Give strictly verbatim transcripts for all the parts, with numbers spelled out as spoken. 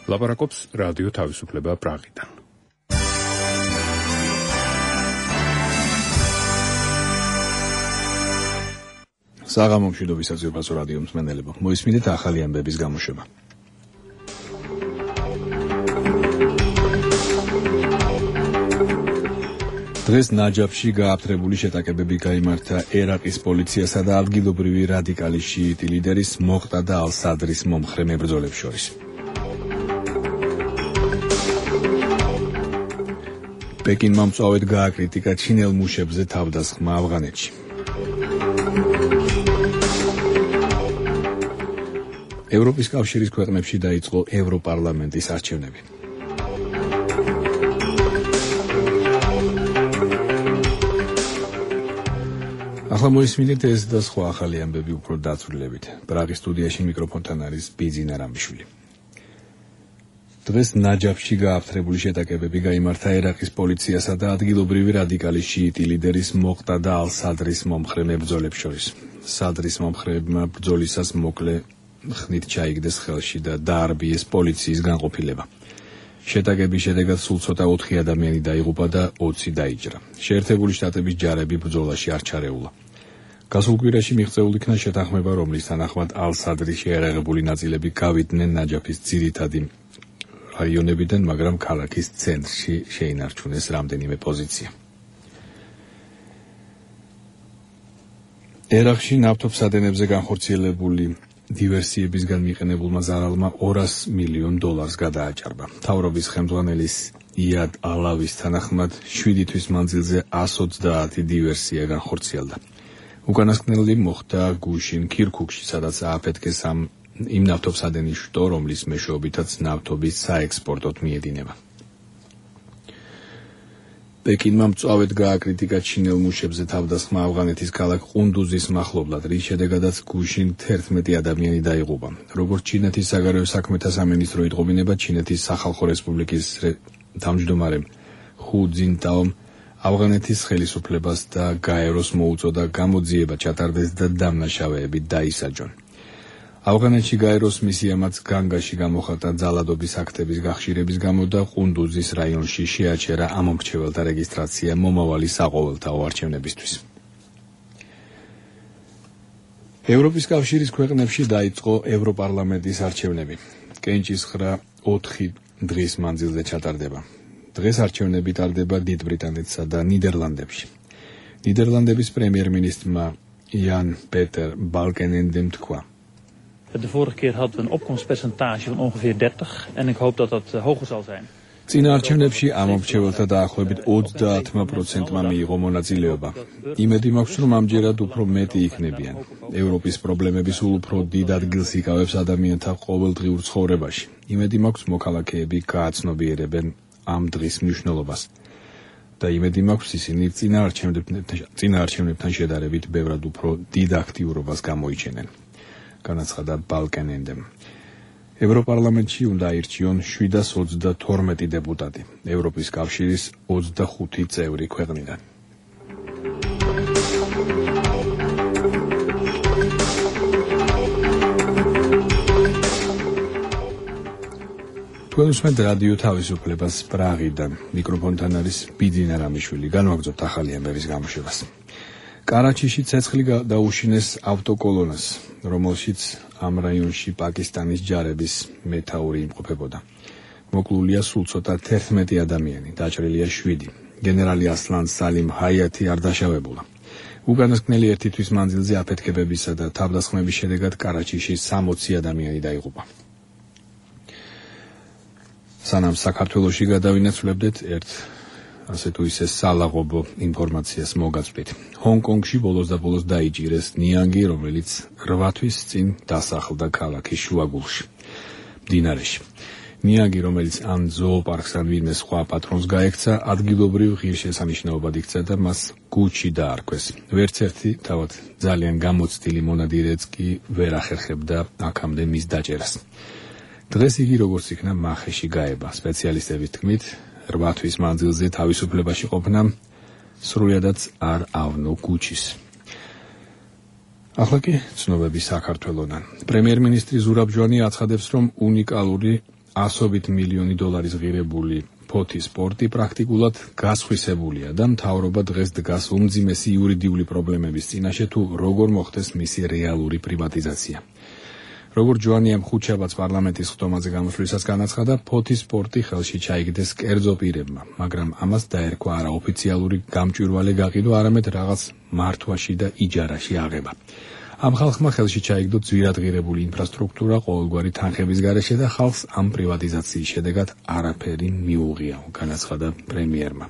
ლაპარაკობს რადიო თავისუფლება პრაღიდან. საღამო მშვიდობის საზოგადოებრივ რადიო მსმენელებო, მოისმინეთ ახალი ამბების გამოშვება. დღეს ნაჯაფში გააფთრებული შეტაკებები გაიმართა ერაყის პოლიციასა და ადგილობრივი რადიკალი შიიტი ლიდერის მოყტადა ალ-სადრის მომხრე მებრძოლებს შორის. პეკინმა მწვავედ გააკრიტიკა ჩინელ მუშებზე თავდასხმა ავღანეთში. ევროპის კავშირის ქვეყნებში დაიწყო ევროპარლამენტის არჩევნები. ახლა მოისმინეთ ეს და სხვა ახალი ამბები უფრო დაწვრილებით. პრაღის სტუდიაში მიკროფონთან არის ბიძინა რამიშვილი. დღეს ნაჯაფში გააფთრებული შეტაკებები გაიმართა ერაყის პოლიციასა და ადგილობრივი რადიკალი შიიტი ლიდერის მოყტადა ალ-სადრის მომხრე მებრძოლებს შორის. სადრის მომხრეებმა ბრძოლისას მოკლე ხნით ჩაიგდეს ხელში და დაარბიეს პოლიციის განყოფილება. შეტაკების შედეგად სულ ცოტა ოთხი ადამიანი დაიღუპა და ოცი დაიჭრა. შეერთებული შტატების ჯარები ბრძოლაში არ ჩარეულა. გასულ კვირაში მიღწეულ იქნა შეთანხმება, რომლის თანახმად ალ-სადრის შეიარაღებული ნაწილები გავიდნენ ნაჯაფის ძირითადი რაიონებიდან, მაგრამ ქალაქის ცენტრში შეინარჩუნეს რამდენიმე პოზიცია. ერაყში ნავთობსადენებზე განხორციელებული დივერსიებისგან მიყენებულმა ზარალმა ორასი მილიონ დოლარს გადააჭარბა. მთავრობის ხელმძღვანელის იად ალავის თანახმად შვიდი თვის მანძილზე ას ოცდაათი დივერსია განხორციელდა. უკანასკნელი მოხდა გუშინ ქირქუქში, სადაც ააფეთქეს ამ იმ ნავთობსადენის შტო, რომლის მეშვეობითაც ნავთობის საექსპორტოდ მიედინება. პეკინმა მწვავედ გააკრიტიკა ჩინელ მუშებზე თავდასხმა ავღანეთის ქალაქ ყუნდუზის მახლობლად, რის შედეგადაც გუშინ თერთმეტი ადამიანი დაიღუპა. როგორც ჩინეთის საგარეო საქმეთა სამინისტრო იტყობინება, ჩინეთის სახალხო რესპუბლიკის თავმჯდომარემ ხუ ძინტაომ ავღანეთის ხელისუფლებას და გაეროს მოუწოდა გამოძიება ჩატარდეს და დამნაშავეები დაისაჯონ. ავღანეთში გაეროს მისიამაც განგაში გამოხატა ძალადობის აქტების გახშირების გამო და ყუნდუზის რაიონში შეაჩერა ამომრჩეველთა რეგისტრაცია მომავალი საყოველთაო არჩევნებისთვის. ევროპის კავშირის ქვეყნებში დაიწყო ევროპარლამენტის არჩევნები. კენჭისხრა ოთხი დღის მანძილზე ჩატარდება. დღეს არჩევნები ტარდება დიდ ბრიტანეთსა და ნიდერლანდებში. ნიდერლანდების პრემიერ-მინისტრმა Jan Peter Balkenendem თქვა: De vorige keer hadden we een opkomstpercentage van ongeveer dertig en ik hoop dat dat uh, hoger zal zijn. წინა არჩევნებში ამომრჩეველთა დაახლოებით ოცდაათმა პროცენტმა მიიღო მონაწილეობა. იმედი მაქვს, რომ ამჯერად უფრო მეტი იქნებიან. ევროპის პრობლემები სულ უფრო დიდ ადგილს იკავებს ადამიანთა ყოველდღიურ ცხოვრებაში. იმედი მაქვს, მოქალაქეები გააცნობიერებენ ამ დღის მნიშვნელობას. და იმედი მაქვს, ისინი წინა წინა არჩევნებთან შედარებით ბევრად უფრო დიდ აქტიურობას გამოიჩენენ. განაცხადა Balkenendem. ევროპარლამენტში უნდა აირჩიონ შვიდას ოცდათორმეტი დეპუტატი, ევროპის კავშირის ოცდახუთი წევრი ქვეყნიდან. თქვენ უსმენთ რადიო თავისუფლებას პრაღიდან. მიკროფონთან არის ბიძინა რამიშვილი. განვაგრძობთ ახალი ამბების გამოშვებას. კარაჩიში ცეცხლი დაუშინეს ავტოკოლონას, რომელშიც ამ რაიონში პაკისტანის ჯარების მეთაური იმყოფებოდა. მოკლულია სულ ცოტა თერთმეტი ადამიანი, დაჭრილია შვიდი. გენერალი ასლან სალიმ ჰაიათი არ დაშავებულა. უკანასკნელი ერთი თვის მანძილზე აფეთქებებისა და თავდასხმების შედეგად კარაჩიში სამოცი ადამიანი დაიღუპა. სანამ საქართველოში გადავინაცვლებდეთ ერთ ასე თუ ისე სალაღობო ინფორმაციას მოგაწვდით. ჰონკონგში ბოლოს და ბოლოს დაიჭირეს ნიანგი, რომელიც რვა თვის წინ დასახლდა ქალაქის შუაგულში, მდინარეში. ნიანგი, რომელიც ან ზოოპარკს ან ვინმე სხვა პატრონს გაექცა, ადგილობრივ ღირსშესანიშნაობად იქცა და მას გუჩი დაარქვეს. ვერც ერთი თავად ძალიან გამოცდილი მონადირეც კი ვერ ახერხებდა აქამდე მის დაჭერას. დღეს იგი როგორც იქნა მახეში გაება. სპეციალისტების თქმით, რვა თვის მანძილზე თავისუფლებაში ყოფნა სრულიადაც არ ავნო გუჩის. ახლა კი ცნობები საქართველოდან. პრემიერ-მინისტრი ზურაბ ჟვანი აცხადებს, რომ უნიკალური ასობით მილიონი დოლარის ღირებული ფოთის სპორტი პრაქტიკულად გასხვისებულია და მთავრობა დღეს დგას უმძიმესი იურიდიული პრობლემების წინაშე თუ როგორ მოხდეს მისი რეალური პრივატიზაცია. როგორც ჯოანიამ ხუთშაბათს პარლამენტის ხდომაზე გამოსვლისას განაცხადა, ფოთის სპორტი ხელში ჩაიგდეს კერძო პირებმა, მაგრამ ამას დაერქვა არა ოფიციალური გამჭვირვალე გაყიდვა, არამედ რაღაც მართვაში და იჯარაში აღება. ამ ხალხმა ხელში ჩაიგდო ძვირადღირებული ინფრასტრუქტურა ყოველგვარი თანხების გარეშე და ხალხს ამ პრივატიზაციის შედეგად არაფერი მიუღია, განაცხადა პრემიერმა.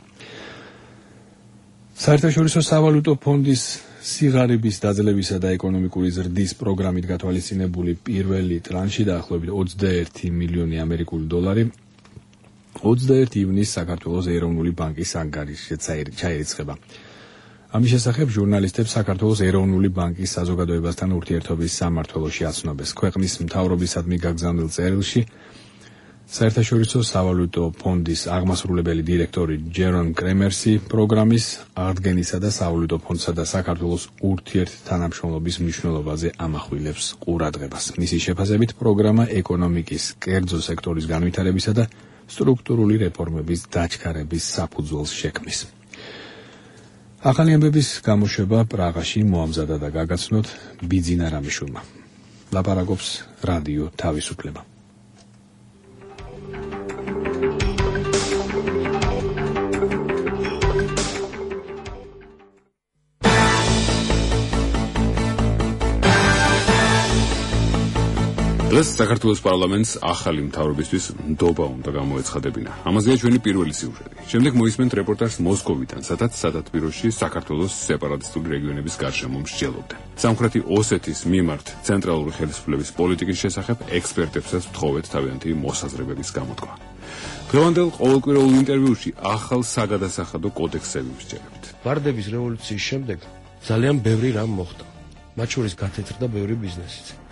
საერთაშორისო სავალუტო ფონდის სიღარიბის დაძლებისა და ეკონომიკური ზრდის პროგრამით გათვალისწინებული პირველი ტრანში დაახლოებით ოცდაერთი მილიონი ამერიკული დოლარი ოცდაერთი ივნისს საქართველოს ეროვნული ბანკის ანგარიშზე ჩაირიცხება. ამის შესახებ ჟურნალისტებს საქართველოს ეროვნული ბანკის საზოგადოებასთან ურთიერთობის სამმართველოში აცნობეს. ქვეყნის მთავრობისადმი გაგზავნილ წერილში საერთაშორისო სავალუტო ფონდის აღმასრულებელი დირექტორი ჯერონ კრემერსი პროგრამის აღდგენისა და სავალუტო ფონდსა და საქართველოს ურთიერთთანამშრომლობის მნიშვნელობაზე ამახვილებს ყურადღებას. მისი შეფასებით პროგრამა ეკონომიკის კერძო სექტორის განვითარებისა და სტრუქტურული რეფორმების დაჩქარების საფუძველს შექმნის. ახალი ამბების გამოშვება პრაღაში მოამზადა და გაგაცნოთ ბიძინა რამიშვილმა. ლაპარაკობს რადიო თავისუფლება. დღეს საქართველოს პარლამენტს ახალი მთავრობისთვის ნდობა უნდა გამოეცხადებინა. ამაზეა ჩვენი პირველი სიუჟეტი. შემდეგ მოისმენთ რეპორტაჟს მოსკოვიდან, სადაც სათათბიროში საქართველოს სეპარატისტული რეგიონების გარშემო მსჯელობდნენ. სამხრეთი ოსეთის მიმართ ცენტრალური ხელისუფლების პოლიტიკის შესახებ ექსპერტებსაც ვთხოვეთ თავიანთი მოსაზრებების გამოთქვა. დღევანდელ ყოველკვირეულ ინტერვიუში ახალ საგადასახადო კოდექსები ვსჯერებთ. ვარდების რევოლუციის შემდეგ ძალიან ბევრი რამ მოხდა. მათ შორის გათეთრდა ბევრი ბიზნესიც.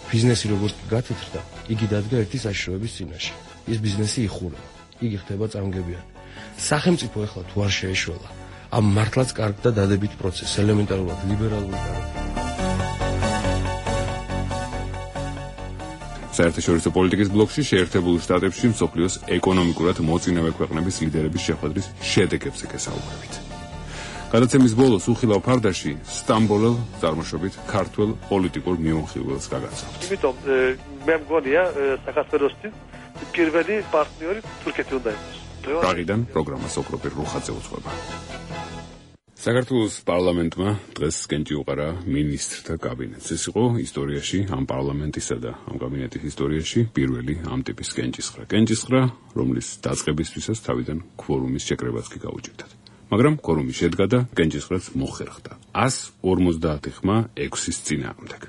ბიზნესი როგორც გათეთრდა, იგი დადგა ერთი საშიშროების წინაშე. ეს ბიზნესი იხურება, იგი ხდება წამგებიანი. სახელმწიფო ეხლა თუ არ შეეშველა, ამ მართლაც კარგ და დადებით პროცესს, ელემენტარულად ლიბერალური გარემო. საერთაშორისო პოლიტიკის ბლოკში შეერთებულ შტატებში მსოფლიოს ეკონომიკურად მოწინავე ქვეყნების ლიდერების შეხვედრის შედეგებს ეკესაუბრებით. გადაცემის ბოლოს უხილავ ფარდაში სტამბოლელ წარმოშობით ქართველ პოლიტიკურ მიმოხილველს გაგაცნობთ. იმიტომ მე მგონია საქართველოსთვის პირველი პარტნიორი თურქეთი უნდა იყოს. პრაღიდან პროგრამას ოქროპირ რუხაძე უძღვება. საქართველოს პარლამენტმა დღეს კენჭი უყარა მინისტრთა კაბინეტს. ეს იყო ისტორიაში, ამ პარლამენტისა და ამ კაბინეტის ისტორიაში პირველი ამ ტიპის კენჭისყრა. კენჭისყრა, რომლის დაწყებისთვისაც თავიდან ქვორუმის შეკრებაც კი გაუჭირდათ. მაგრამ ქორუმი შედგა და კენჭისყრაც მოხერხდა. ასს ორმოცდაათი ხმა ექვსის წინააღმდეგ.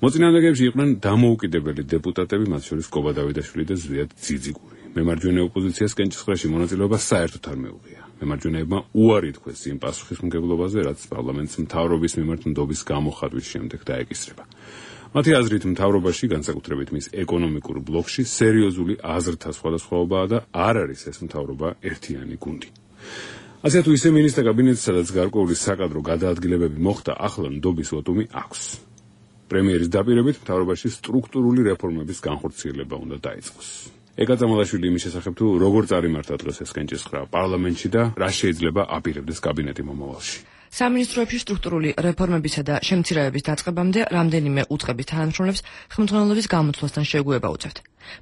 მოწინააღმდეგეებში იყვნენ დამოუკიდებელი დეპუტატები, მათ შორის კობა დავიდაშვილი და ზვიად ძიძიგური. მემარჯვენე ოპოზიციას კენჭისყრაში მონაწილეობა საერთოდ არ მეუღია. მემარჯვენეებმა უარი თქვეს იმ პასუხისმგებლობაზე, რაც პარლამენტს მთავრობის მიმართ ნდობის გამოხატვის შემდეგ დაეკისრება. მათი აზრით მთავრობაში, განსაკუთრებით მის ეკონომიკურ ბლოკში, სერიოზული აზრთა სხვადასხვაობაა და არ არის ეს მთავრობა ერთიანი გუნდი. ასე თუ ისე მინისტრთა კაბინეტს, სადაც გარკვეული საკადრო გადაადგილებები მოხდა, ახლა ნდობის ვოტუმი აქვს. პრემიერის დაპირებით მთავრობაში სტრუქტურული რეფორმების განხორციელება უნდა დაიწყოს. ეკა წამალაშვილი იმის შესახებ თუ როგორ წარიმართა დღეს ეს კენჭისყრა პარლამენტში და რა შეიძლება აპირებდეს კაბინეტი მომავალში. სამინისტროებში სტრუქტურული რეფორმებისა და შემცირებების დაწყებამდე რამდენიმე უწყების თანამშრომლებს ხელმძღვანელობის გამოთვლასთან შეგუება უწევთ.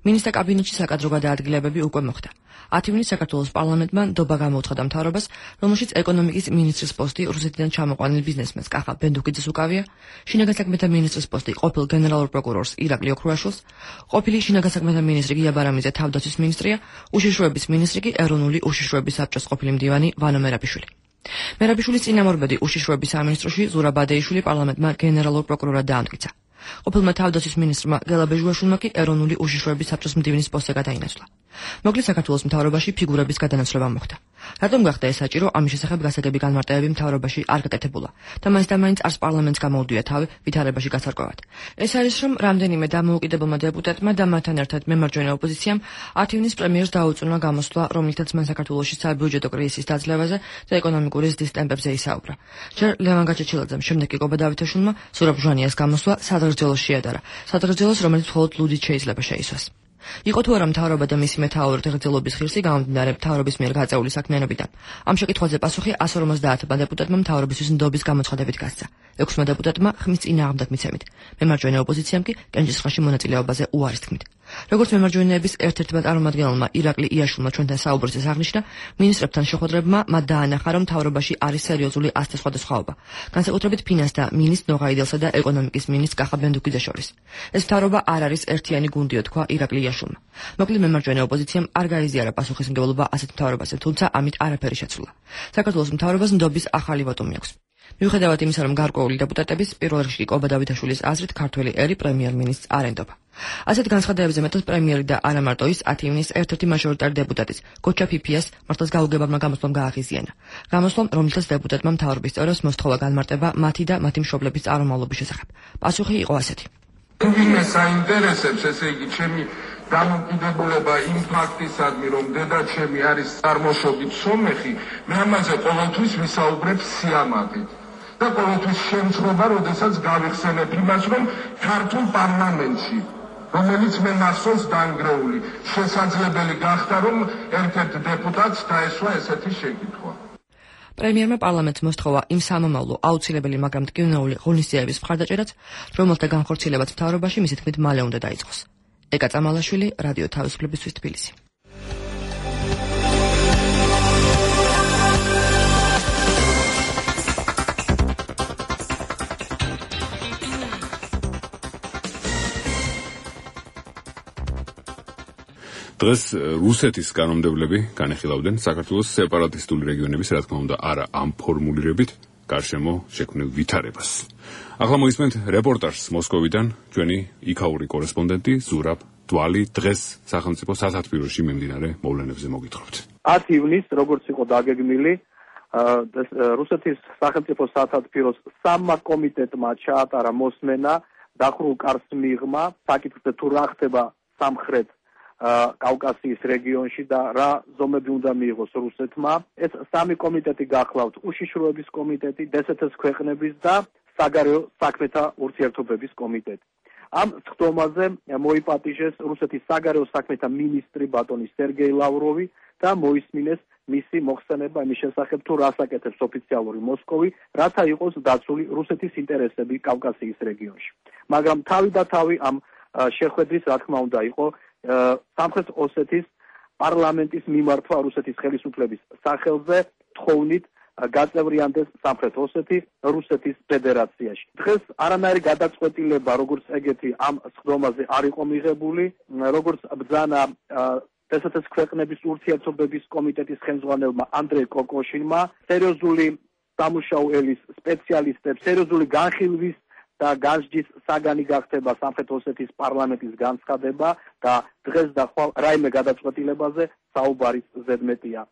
მინისტრთა კაბინეტში საკადრო გადაადგილებები უკვე მოხდა. ათი ივნისს საქართველოს პარლამენტმა ნდობა გამოუცხადა მთავრობას, რომელშიც ეკონომიკის მინისტრის პოსტი რუსეთიდან ჩამოყვანილ ბიზნესმენს კახა ბენდუკიძეს უკავია, შინაგან საქმეთა მინისტრის პოსტი ყოფილ გენერალურ პროკურორს ირაკლი ოქრუაშვილს, ყოფილი შინაგან საქმეთა მინისტრი გია ბარამიძე თავდაცვის მინისტრია, უშიშროების მინისტრი კი ეროვნული უშიშროების საბჭოს ყოფილი მდივანი ვანო მერაბიშვილი. მერაბიშვილის წინამორბედი უშიშროების სამინისტროში ზურაბ ადეიშვილი პარლამენტმა გენერალურ პროკურორად დაამტკიცა. ყოფილმა თავდაცვის მინისტრმა გელა ბეჟუაშვილმა კი ეროვნული უშიშროების საბჭოს მდივნის პოსტზე გადაინაცვლა. მოკლედ საქართველოს მთავრობაში ფიგურების გადანაცვლება მოხდა. რატომ გახდა ეს საჭირო, ამის შესახებ გასაგები განმარტებები მთავრობაში არ გაკეთებულა და მაინც და მაინც არც პარლამენტს გამოუდვია თავი ვითარებაში გასარკვევად. ეს არის, რომ რამდენიმე დამოუკიდებელმა დეპუტატმა და მათთან ერთად მემარჯვენე ოპოზიციამ ათი ივნისს პრემიერს დაუწუნა გამოსვლა, რომლითაც მან საქართველოში საბიუჯეტო კრიზისის დაძლევაზე და ეკონომიკური ზრდის ტემპებზე ისაუბრა. ჯერ ლევან გაჩეჩილაძემ, შემდეგ კი კობა დავითაშვილმა სურაბ ჟვანიას გამოსვლა სადღეგრძელოს შეადარა. სადღეგრძელოს, რომელიც მხოლოდ ლუდით შეიძლება შეისვას. იყო თუ არა მთავრობა და მისი მეთაური ღირსების ღირსი გამომდინარე მთავრობის მიერ გაწეული საქმიანობიდან. ამ შეკითხვაზე პასუხი εκατს ორმოცდაათმა დეპუტატმა მთავრობისთვის ნდობის გამოცხადებით გასცა. ექვსმა დეპუტატმა ხმის წინააღმდეგ მიცემით. მემარჯვენე ოპოზიციამ კი კენჭისყრაში მონაწილეობაზე უარის თქმით. როგორც მემარჯვენეების ერთ-ერთმა წარმომადგენელმა ირაკლი იაშვილმა ჩვენთან საუბრისას აღნიშნა, მინისტრებთან შეხვედრებმა მათ დაანახა, რომ მთავრობაში არის სერიოზული ასზე სხვადასხვაობა. განსაკუთრებით ფინანს და მინისტრ ნოღაიდელსა და ეკონომიკის მინისტრ კახა ბენდუკიძეს შორის. ეს მთავრობა არ არის ერთიანი გუნდიო, თქვა ირაკლი იაშვილმა. მოკლედ მემარჯვენე ოპოზიციამ არ გაიზიარა პასუხისმგებლობა ასეთ მთავრობაზე, თუმცა ამით არაფერი შეცვლა. საქართველოს მთავრობას ნდობის ახალი ვოტუმი აქვს. მიუხედავად იმისა, რომ გარკვეული დეპუტატების პირველ რიგში კობა დავითაშვილის აზრით ქართველი ერი პრემიერ-მინისტრს არ ენდობა. ასეთ განცხადებებზე მეტად პრემიერი და არა მარტო ის ათი ივნის ერთ-ერთი მაჟორიტარი დეპუტატის გოჩა ფიფიას მართლაც გაუგებარმა გამოსვლამ გააღიზიანა. გამოსვლამ, რომელსაც დეპუტატმა მთავრობის წევრებს მოსთხოვა განმარტება მათი და მათი მშობლების წარმომავლობის შესახებ. პასუხი იყო ასეთი. ვინმე საინტერესებს, ესე იგი, ჩემი დამოკიდებულება იმ ფაქტისადმი, რომ დედა ჩემი არის წარმოშობით სომეხი, მე ამაზე ყოველთვის ვისაუბრებ სიამაყით. და ყოველთვის შემთხვევა, როდესაც გავიხსენებ იმას, რომ ქართულ პარლამენტში, რომელიც მე მახსოვს დანგრეული, შესაძლებელი გახდა, რომ ერთ-ერთ დეპუტატს დაესვა ესეთი შეკითხვა. პრემიერმა პარლამენტს მოსთხოვა იმ სამომავლო აუცილებელი, მაგრამ მტკივნეული ღონისძიებების მხარდაჭერაც, რომელთა განხორციელებაც მთავრობაში მისი თქმით მალე უნდა დაიწყოს. ეკა წამალაშვილი, რადიო თავისუფლებისთვის თბილისი. დღეს რუსეთის კანონმდებლები განეხილავდნენ საქართველოს სეპარატისტული რეგიონების, რა თქმა უნდა, არა ამ ფორმულირებით, გარშემო შექმნილ ვითარებას. ახლა მოისმენთ რეპორტაჟს მოსკოვიდან ჩვენი იქაური კორესპონდენტი ზურაბ დვალი დღეს სახელმწიფო სათათბიროში მიმდინარე მოვლენებზე მოგითხრობთ. ათი ივნისს, როგორც იყო დაგეგმილი, რუსეთის სახელმწიფო სათათბიროს სამმა კომიტეტმა ჩაატარა მოსმენა დახურულ კარს მიღმა საკითხზე თუ რა ხდება სამხრეთ კავკასიის რეგიონში და რა ზომები უნდა მიიღოს რუსეთმა. ეს სამი კომიტეტი გახლავთ: უშიშროების კომიტეტი, დსთ-ს ქვეყნების და საგარეო საქმეთა ურთიერთობების კომიტეტი. ამ სხდომაზე მოიპატიჟეს რუსეთის საგარეო საქმეთა მინისტრი ბატონი სერგეი ლავროვი და მოისმინეს მისი მოხსენება იმის შესახებ, თუ რას აკეთებს ოფიციალური მოსკოვი, რათა იყოს დაცული რუსეთის ინტერესები კავკასიის რეგიონში. მაგრამ თავი და თავი ამ შეხვედრის, რა თქმა უნდა, იყო სამხრეთ ოსეთის პარლამენტის მიმართვა რუსეთის ხელისუფლების სახელზე თხოვნით გაწევრიანდეს სამხრეთ ოსეთი რუსეთის ფედერაციაში. დღეს არანაირი გადაწყვეტილება, როგორც ეგეთი ამ სხდომაზე არ იყო მიღებული, როგორც ბრძანა დსთ-ს ქვეყნების ურთიერთობების კომიტეტის ხელმძღვანელმა ანდრეი კოკოშინმა, სერიოზული სამუშაო ელის სპეციალისტებს, სერიოზული განხილვის და განსჯის საგანი გახდება სამხრეთ ოსეთის პარლამენტის განცხადება და დღეს და ხვალ რაიმე გადაწყვეტილებაზე საუბარის ზედმეტია.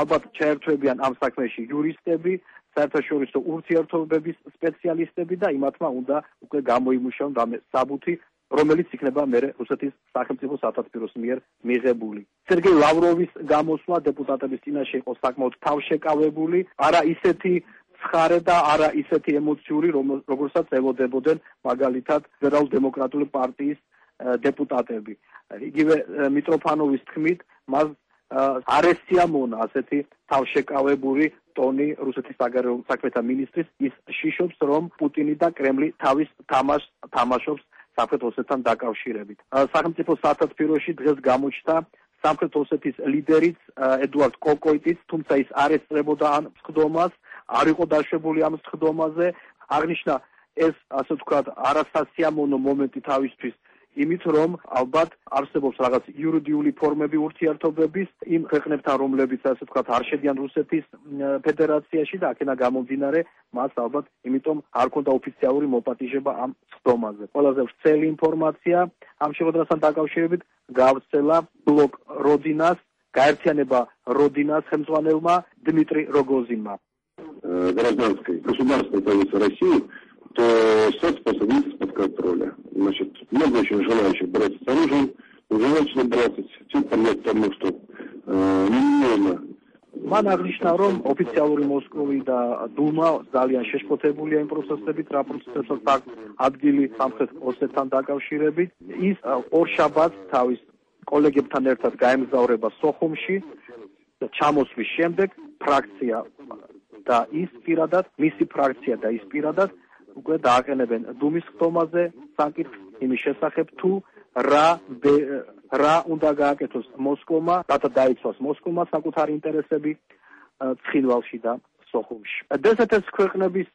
ალბათ ჩაერთვებიან ამ საქმეში იურისტები, საერთაშორისო ურთიერთობების სპეციალისტები და იმათმა უნდა უკვე გამოიმუშაონ რამე საბუთი, რომელიც იქნება მერე რუსეთის სახელმწიფო სათათბიროს მიერ მიღებული. სერგეი ლავროვის გამოსვლა დეპუტატების წინაშე იყო საკმაოდ თავშეკავებული, არა ისეთი ცხარე და არა ისეთი ემოციური, როგორცაც ელოდებოდნენ მაგალითად ფედერალურ დემოკრატიული პარტიის დეპუტატები. იგივე მიტროფანოვის თქმით, მას არ ესიამონა ასეთი თავშეკავებული ტონი რუსეთის საგარეო საქმეთა მინისტრის, ის შიშობს, რომ პუტინი და კრემლი თავის თამაშს თამაშობს სამხრეთ ოსეთთან დაკავშირებით. სახელმწიფო სათათბიროში დღეს გამოჩნდა სამხრეთ ოსეთის ლიდერიც ედუარდ კოკოიტიც, თუმცა ის არ ესწრებოდა ამ სხდომას, არ იყო დაშვებული ამ სხდომაზე. აღნიშნა ეს, ასე ვთქვათ, არასასიამოვნო მომენტი თავისთვის იმით, რომ ალბათ არსებობს რაღაც იურიდიული ფორმები ურთიერთობების იმ ქვეყნებთან, რომლებიც, ასე ვთქვათ, არ შედიან რუსეთის ფედერაციაში და აქედან გამომდინარე, მას ალბათ იმიტომ არ ქონდა ოფიციალური მოპატიჟება ამ სხდომაზე. ყველაზე ვრცელი ინფორმაცია ამ შეხვედრასთან დაკავშირებით გავრცელა ბლოკ როდინას, გაერთიანება როდინას ხელმძღვანელმა დმიტრი როგოზინმა. Гражданской государственной позиции России, то соцспособность под контроля. Значит, много очень желающих бороться с оружием, уже начали бороться, все понять тому, что э, немного. მან აღნიშნა, რომ ოფიციალური მოსკოვი და დუმა ძალიან შეშფოთებულია იმ პროცესებით, რა პროცესებსაც აქვს ადგილი სამხრეთ ოსეთთან დაკავშირებით. ის ორ შაბათს თავის კოლეგებთან ერთად გაემგზავრება სოხუმში და ჩამოსვლის შემდეგ ფრაქცია და ის პირადად, მისი ფრაქცია და ის პირადად უკვე დააყენებენ დუმის ხდომაზე საკითხს იმის შესახებ თუ რა რა უნდა გააკეთოს მოსკოვმა, რათა დაიცვას მოსკოვმა საკუთარი ინტერესები ცხინვალში და სოხუმში. დსთ-ს ქვეყნების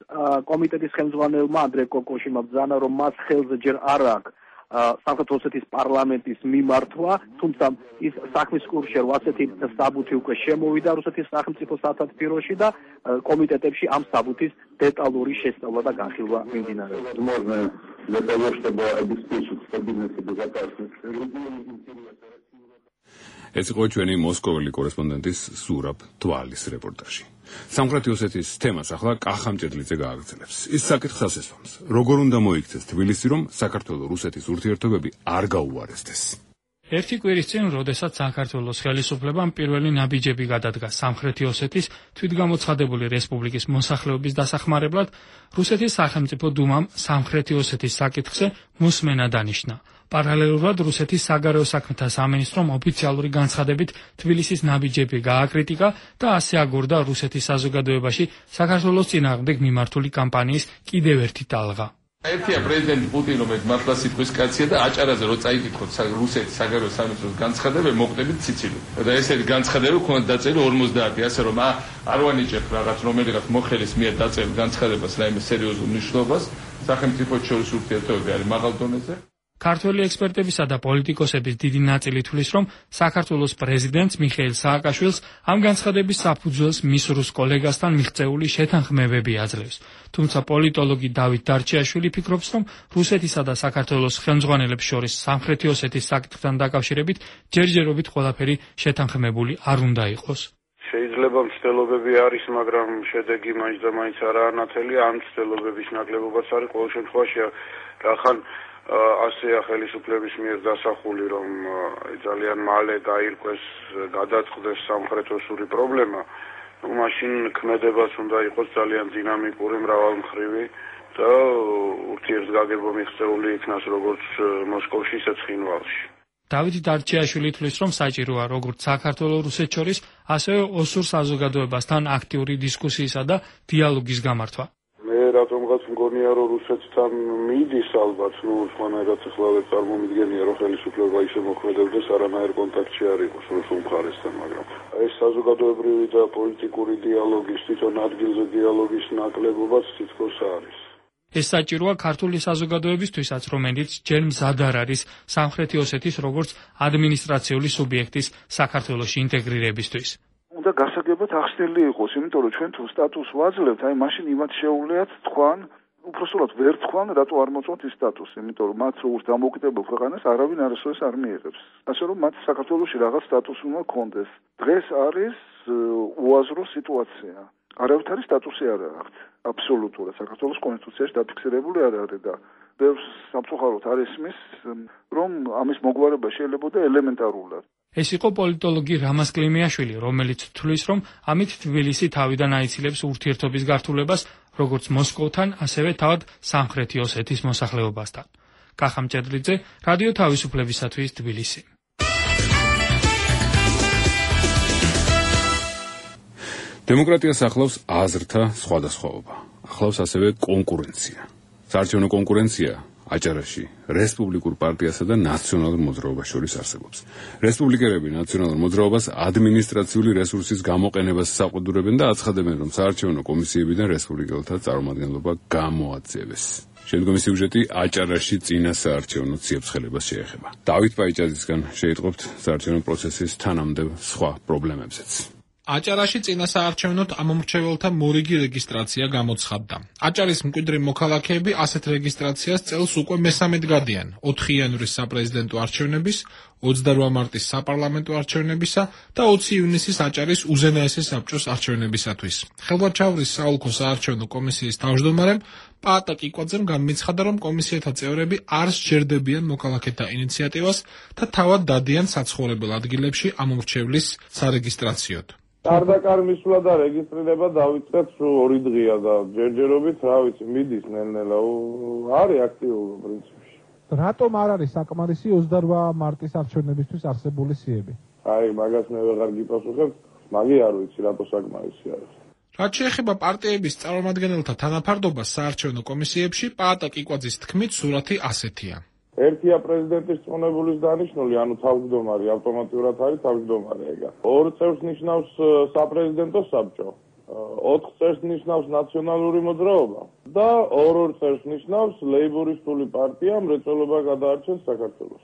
კომიტეტის ხელმძღვანელმა ანდრე კოკოშიმმა ბრძანა, რომ მას ხელზე ჯერ არ აქვს სამხრეთ ოსეთის პარლამენტის მიმართვა, თუმცა ის საქმის კურსში ასეთი საბუთი უკვე შემოვიდა რუსეთის სახელმწიფო სათათბიროში და კომიტეტებში ამ საბუთის დეტალური შესწავლა და განხილვა მიმდინარეობს. Для того, чтобы обеспечить стабильность и безопасность ეს იყო ჩვენი მოსკოველი კორესპონდენტის სურაბ თვალის რეპორტაჟი. სამხრეთი ოსეთის თემას ახლა კახა მჭედლიძე გააგრძელებს. ის საკითხს ასესვამს, როგორ უნდა მოიქცეს თბილისი, რომ საქართველო-რუსეთის ურთიერთობები არ გაუარესდეს. ერთი კვირის წინ, როდესაც საქართველოს ხელისუფლებამ პირველი ნაბიჯები გადადგა სამხრეთი ოსეთის თვითგამოცხადებული რესპუბლიკის მოსახლეობის დასახმარებლად, რუსეთის სახელმწიფო დუმამ სამხრეთი ოსეთის საკითხზე მოსმენა დანიშნა. პარალელურად რუსეთის საგარეო საქმეთა სამინისტრომ ოფიციალური განცხადებით თბილისის ნაბიჯები გააკრიტიკა და ასე აგორდა რუსეთის საზოგადოებაში საქართველოს წინააღმდეგ მიმართული კამპანიის კიდევ ერთი ტალღა. ერთია პრეზიდენტ პუტინი, რომელიც მართლა სიტყვის კაცია და აჭარაზე რო წაიკითხოთ რუსეთის საგარეო სამინისტროს განცხადებები, მოხდებით ციცილით. და ესეთი განცხადებები ქონდა დაწერილი ორმოცდაათი, ასე რომ არ ვანიჭებ რაღაც რომელიღაც მოხელის მიერ დაწერილ განცხადებას რაიმე სერიოზულ მნიშვნელობას, სახელმწიფოებს შორის ურთიერთობები არის მაღალ დონეზე. ქართველი ექსპერტებისა და პოლიტიკოსების დიდი ნაწილი თვლის, რომ საქართველოს პრეზიდენტს მიხეილ სააკაშვილს ამ განცხადების საფუძველს მის რუს კოლეგასთან მიღწეული შეთანხმებები აძლევს. თუმცა პოლიტოლოგი დავით დარჩიაშვილი ფიქრობს, რომ რუსეთისა და საქართველოს ხელმძღვანელებს შორის სამხრეთი ოსეთის საკითხთან დაკავშირებით ჯერჯერობით ყველაფერი შეთანხმებული არ უნდა იყოს. შეიძლება მცდელობები არის, მაგრამ შედეგი მაინც და მაინც არაა ნათელი. ამ მცდელობების ნაკლებობაც არის ყოველ შემთხვევაში რახან ასეა ხელისუფლების მიერ დასახული, რომ ძალიან მალე გაირკვეს, გადაწყდეს სამხრეთოსური პრობლემა, ну მაშინ ქმედებაც უნდა იყოს ძალიან დინამიკური, მრავალმხრივი და ურთიერთგაგება მიღწეული იქნას როგორც მოსკოვში, ისე ცხინვალში. დავით დარჩიაშვილი თვლის, რომ საჭიროა როგორც საქართველოს რუსეთს შორის, ასევე ოსურ საზოგადოებასთან აქტიური დისკუსიისა და დიალოგის გამართვა. რატომღაც მგონია, რომ რუსეთთან მიდის ალბათ, ну სხვანაირად ახლა ვერ წარმომიდგენია, რომ ხელისუფლება ისე მოქმედებდეს, არანაირ კონტაქტში არ იყოს რუსულ მხარესთან, მაგრამ ეს საზოგადოებრივი და პოლიტიკური დიალოგის, თვითონ ადგილზე დიალოგის ნაკლებობაც თითქოს არის. ეს საჭიროა ქართული საზოგადოებისთვისაც, რომელიც ჯერ მზად არ არის სამხრეთი ოსეთის როგორც ადმინისტრაციული სუბიექტის საქართველოში ინტეგრირებისთვის. უნდა გასაგებად ახსნილი იყოს, იმიტომ რომ ჩვენ თუ სტატუსს ვაძლევთ, აი მაშინ იმათ შეუძლიათ თქვან, უბრალოდ ვერ თქვან, რატო არ მოწონთ ის სტატუსი, იმიტომ რომ მათ როგორც დამოუკიდებელ ქვეყანას არავინ არასოდეს არ მიიღებს. ასე რომ მათ საქართველოში რაღაც სტატუსი უნდა ქონდეს. დღეს არის უაზრო სიტუაცია. არავითარი სტატუსი არ აქვს. აბსოლუტურად საქართველოს კონსტიტუციაში დაფიქსირებული არ არის და ბევრს სამწუხაროდ არ ისმის, რომ ამის მოგვარება შეიძლებოდა ელემენტარულად. ეს იყო პოლიტოლოგი რამაზ კლიმიაშვილი, რომელიც თვლის, რომ ამით თბილისი თავიდან აიცილებს ურთიერთობის გართულებას როგორც მოსკოვთან, ასევე თავად სამხრეთი ოსეთის მოსახლეობასთან. კახა მჭედლიძე, რადიო თავისუფლებისათვის თბილისი. დემოკრატიას ახლავს აზრთა სხვადასხვაობა. ახლავს ასევე კონკურენცია. საარჩევნო კონკურენცია აჭარაში რესპუბლიკურ პარტიასა და ნაციონალურ მოძრაობას შორის არსებობს. რესპუბლიკელები ნაციონალურ მოძრაობას ადმინისტრაციული რესურსის გამოყენებას საყდურებენ და აცხადებენ, რომ საარჩევნო კომისიებიდან რესპუბლიკელთა წარმომადგენლობა გამოაძევეს. შემდგომი სიუჟეტი აჭარაში წინა საარჩევნო ციებ-ცხელებას შეეხება. დავით პაიჭაძისგან შეიტყობთ საარჩევნო პროცესის თანამდებობ სხვა პრობლემებზეც. აჭარაში წინა საარჩევნოდ ამომრჩეველთა მორიგი რეგისტრაცია გამოცხადდა. აჭარის მკვიდრი მოქალაქეები ასეთ რეგისტრაციას წელს უკვე მესამედ გადიან. ოთხი იანვრის საპრეზიდენტო არჩევნების, ოცდარვა მარტის საპარლამენტო არჩევნებისა და ოცი ივნისის აჭარის უზენაესი საბჭოს არჩევნებისათვის. ხელვაჩავრის საოლქო საარჩევნო კომისიის თავმჯდომარემ პაატა კიკვაძემ განმეცხადა, რომ კომისიათა წევრები არ სჯერდებიან მოქალაქეთა ინიციატივას და თავად დადიან საცხოვრებელ ადგილებში ამომრჩევლის სარეგისტრაციოდ. კარდაკარ მისვლა და რეგისტრირება დავიწყეთ ორი დღეა და ჯერჯერობით, რა ვიცი, მიდის ნელ-ნელა, არის აქტიური პრინციპში. რატომ არ არის საკმარისი ოცდარვა მარტის არჩევნებისთვის არსებული სიები? აი, მაგას მე ვეღარ გიპასუხებ, მაგი არ ვიცი რატო საკმარისი არის. რაც შეეხება პარტიების წარმომადგენელთა თანაფარდობას საარჩევნო კომისიებში, პაატა კიკვაძის თქმით, სურათი ასეთია. ერთია პრეზიდენტის წონებულის დანიშნული, ანუ თავმჯდომარე ავტომატურად არის თავმჯდომარე ეგა. ორ წევრს ნიშნავს საპრეზიდენტო საბჭო. ოთხ წელს ნიშნავს ნაციონალური მოძრაობა და ორ-ორ წელს ნიშნავს ლეიბორისტული პარტია მრეწველობა გადაარჩენს საქართველოს.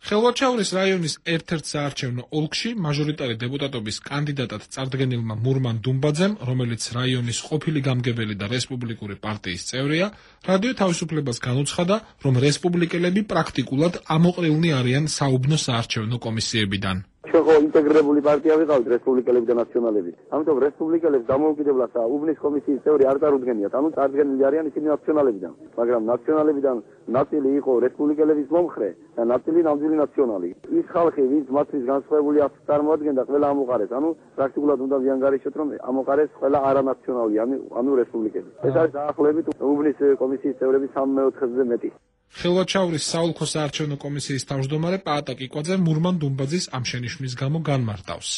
ხელვაჩაურის რაიონის ერთ-ერთ საარჩევნო ოლქში მაჟორიტარი დეპუტატობის კანდიდატად წარდგენილმა მურმან დუმბაძემ, რომელიც რაიონის ყოფილი გამგებელი და რესპუბლიკური პარტიის წევრია, რადიო თავისუფლებას განუცხადა, რომ რესპუბლიკელები პრაქტიკულად ამოყრილნი არიან საუბნო საარჩევნო კომისიებიდან. ჩვენ ხო ინტეგრირებული პარტია ვიყავით რესპუბლიკელები და ნაციონალები. ამიტომ რესპუბლიკელებს დამოუკიდებლად უვნის კომისიის წევრი არ წარუდგენიათ, ანუ წარდგენილი არიან ისინი ნაციონალებიდან, მაგრამ ნაციონალებიდან ნაწილი იყო რესპუბლიკელების მომხრე და ნაწილი ნამდვილი ნაციონალი. ის ხალხი, ვინც მათთვის განსხვავებული აფს წარმოადგენდა, ყველა ამოყარეს, ანუ პრაქტიკულად უნდა ვიანგარიშოთ, რომ ამოყარეს ყველა არანაციონალი, ანუ რესპუბლიკელი. ეს არის დაახლოებით უვნის კომისიის წევრების სამი მეოთხედზე მეტი. ხელვაჩაურის საოლქო საარჩევნო კომისიის თავმჯდომარე პაატა კიკვაძე მურმან დუმბაძის ამ შენიშვნის გამო განმარტავს.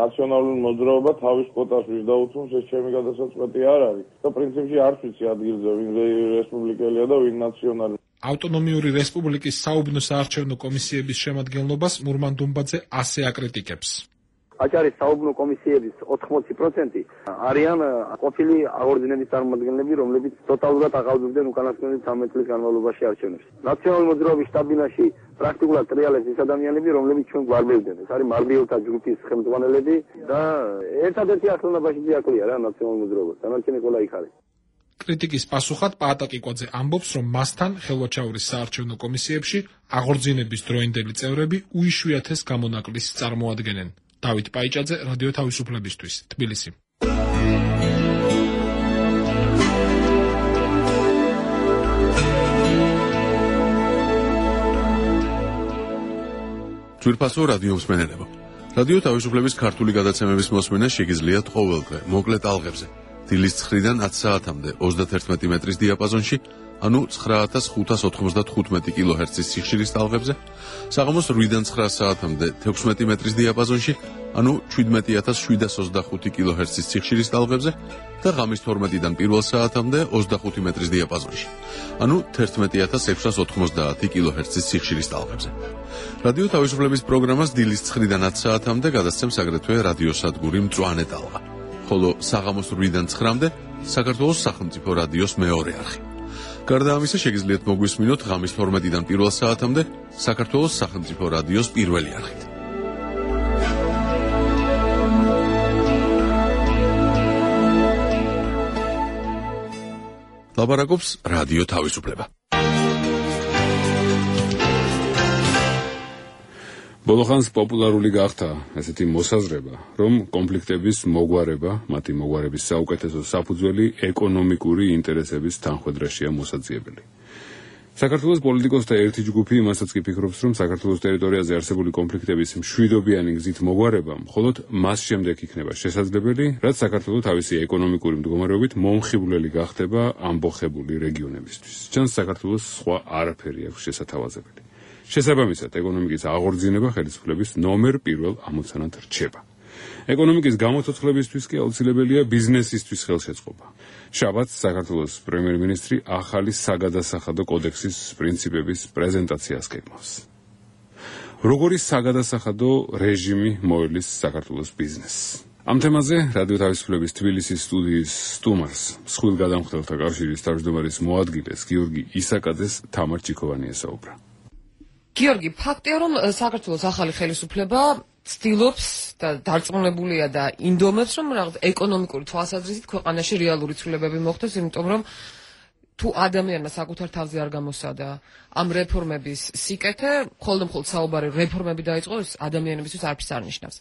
ნაციონალური მოძრაობა თავის კვოტას ვის დაუთმობს, ეს ჩემი გადასაწყვეტი არ არის. და პრინციპში არ ვიცი ადგილზე ვინ რესპუბლიკელია და ვინ ნაციონალი. ავტონომიური რესპუბლიკის საუბნო საარჩევნო კომისიების შემადგენლობას მურმან დუმბაძე ასე აკრიტიკებს. აჭარის საუბნო კომისიების ოთხმოცი პროცენტი არიან ყოფილი აღორძინების წარმომადგენლები, რომლებიც ტოტალურად აღავზრდნენ უკანასკნელი ცამეტ წლის განმავლობაში არჩევნებს. ნაციონალური მოძრაობის შტაბ-ბინაში პრაქტიკულად ტრიალებს ის ადამიანები, რომლებიც ჩვენ გვარბევდნენ. ეს არის მარბიელთა ჯგუფის ხელმძღვანელები და ერთადერთი ახლონებაში ძიაკლია რა ნაციონალური მოძრაობა. დანარჩენი ყველა იქ არის. კრიტიკის პასუხად პაატა კიკვაძე ამბობს, რომ მასთან ხელვაჩაურის საარჩევნო კომისიებში აღორძინების დროინდელი წევრები უიშვიათეს გამონაკლისს წარმოადგენენ. დავით პაიჭაძე, რადიო თავისუფლებისთვის, თბილისი. ძვირფასო რადიო მსმენელებო. რადიო თავისუფლების ქართული გადაცემების მოსმენა შეგიძლიათ ყოველდღე, მოკლე ტალღებზე. დილის ცხრიდან ათი საათამდე ოცდათერთმეტი მეტრის დიაპაზონში, ანუ ცხრა ათას ხუთას ოთხმოცდათხუთმეტი კილოჰერცის სიხშირის ტალღებზე, საღამოს რვიდან ცხრა საათამდე თექვსმეტი მეტრის დიაპაზონში, ანუ შვიდმეტი ათას შვიდას ოცდახუთი კილოჰერცის სიხშირის ტალღებზე და ღამის თორმეტიდან პირველ საათამდე ოცდახუთი მეტრის დიაპაზონში, ანუ თერთმეტი ათას ექვსას ოთხმოცდაათი კილოჰერცის სიხშირის ტალღებზე. რადიო თავისუფლების პროგრამას დილის ცხრიდან ათი საათამდე გადასცემს აგრეთვე რადიოსადგური მწვანე ტალღა. ხოლო საღამოს რვიდან ცხრამდე საქართველოს სახელმწიფო რადიოს მეორე არხი. გარდა ამისა შეგიძლიათ მოგვისმინოთ ღამის თორმეტიდან პირველ საათამდე საქართველოს სახელმწიფო რადიოს პირველი არხით. ლაბარაკობს რადიო თავისუფლება. ბოლოხანს პოპულარული გახდა ესეთი მოსაზრება, რომ კონფლიქტების მოგვარება, მათი მოგვარების საუკეთესო საფუძველი ეკონომიკური ინტერესების თანხვედრაშია მოსაძიებელი. საქართველოს პოლიტიკოსთა ერთი ჯგუფი იმასაც კი ფიქრობს, რომ საქართველოს ტერიტორიაზე არსებული კონფლიქტების მშვიდობიანი გზით მოგვარება მხოლოდ მას შემდეგ იქნება შესაძლებელი, რაც საქართველოს თავისი ეკონომიკური მდგომარეობით მომხიბვლელი გახდება ამბოხებული რეგიონებისთვის. ჩანს საქართველოს სხვა არაფერი აქვს შესათავაზებელი. შესაბამისად, ეკონომიკის აღორძინება ხელისუფლების ნომერ პირველ ამოცანად რჩება. ეკონომიკის გამოცოცხლებისთვის კი აუცილებელია ბიზნესისთვის ხელშეწყობა. შაბათს საქართველოს პრემიერ-მინისტრი ახალი საგადასახადო კოდექსის პრინციპების პრეზენტაციას გეგმავს. როგორი საგადასახადო რეჟიმი მოელის საქართველოს ბიზნესს? ამ თემაზე რადიო თავისუფლების თბილისის სტუდიის სტუმარს, მსხვილ გადამხდელთა კავშირის თავმჯდომარის მოადგილეს გიორგი ისაკაძეს თამარ ჩიქოვანი ესაუბრა. გიორგი, ფაქტია, რომ საქართველოს ახალი ხელისუფლება ცდილობს და დარწმუნებულია და ინდომებს, რომ რაღაც ეკონომიკური თვალსაზრისით ქვეყანაში რეალური ცვლილებები მოხდეს, იმიტომ რომ თუ ადამიანმა საკუთარ თავზე არ გამოსადა ამ რეფორმების სიკეთე, მხოლოდ საუბარი რეფორმები დაიწყო, ეს ადამიანებისთვის არაფერს არ ნიშნავს.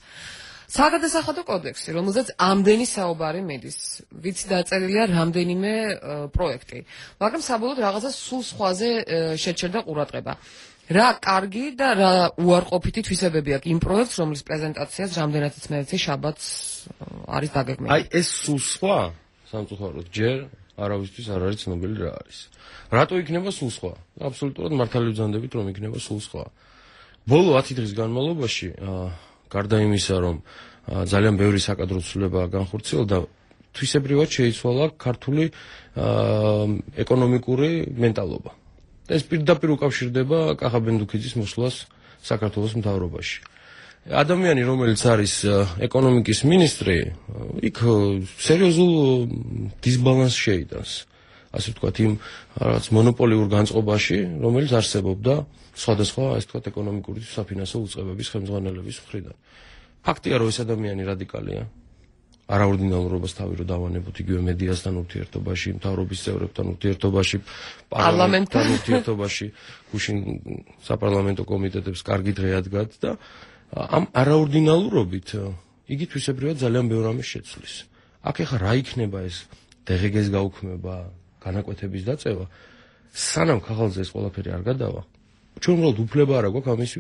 საგადასახადო კოდექსი, რომელზეც ამდენი საუბარი მიდის, ვიცი დაწერილია რამდენიმე პროექტი, მაგრამ საბოლოოდ რაღაცა სულ სხვაზე შეჩერდა ყურადღება. რა კარგი და რა უარყოფითი თვისებები აქვს იმ პროექტს, რომლის პრეზენტაციას რამდენადაც მეცი შაბათს არის დაგეგმილი. აი ეს სულ სხვა სამწუხაროდ ჯერ არავისთვის არ არის ცნობილი რა არის. რატო იქნება სულ სხვა? აბსოლუტურად მართალი ვძანდებით, რომ იქნება სულ სხვა. ბოლო ათი დღის განმავლობაში, გარდა იმისა, რომ ძალიან ბევრი საკადრო ცვლილება განხორციელდა, თვისებრივად შეიცვალა ქართული ეკონომიკური მენტალობა. ეს პირდაპირ უკავშირდება კახა ბენდუქიძის მოსვლას საქართველოს მთავრობაში. ადამიანი, რომელიც არის ეკონომიკის მინისტრი, იქ სერიოზულ დისბალანსს შეიტანს. ასე ვთქვათ, იმ რაღაც მონოპოლიურ განწყობაში, რომელიც არსებობდა სხვადასხვა, ასე ვთქვათ, ეკონომიკური საფინანსო უწყებების ხელმძღვანელების მხრიდან. ფაქტია, რომ ეს ადამიანი რადიკალია. არაორდინალურობას თავი რო დავანებოთ იგივე მედიასთან ურთიერთობაში, მთავრობის წევრებთან ურთიერთობაში, პარლამენტთან ურთიერთობაში, გუშინ საპარლამენტო კომიტეტებს კარგი დღე ადგათ და ამ არაორდინალურობით იგი თვისებრივად ძალიან ბევრ ამას შეცვლის. აქ ეხლა რა იქნება ეს დღეგეს გაუქმება, განაკვეთების დაწევა, სანამ ხალხზე ეს ყველაფერი არ გადავა. ჩვენ უბრალოდ უფლება არ აქვს ამის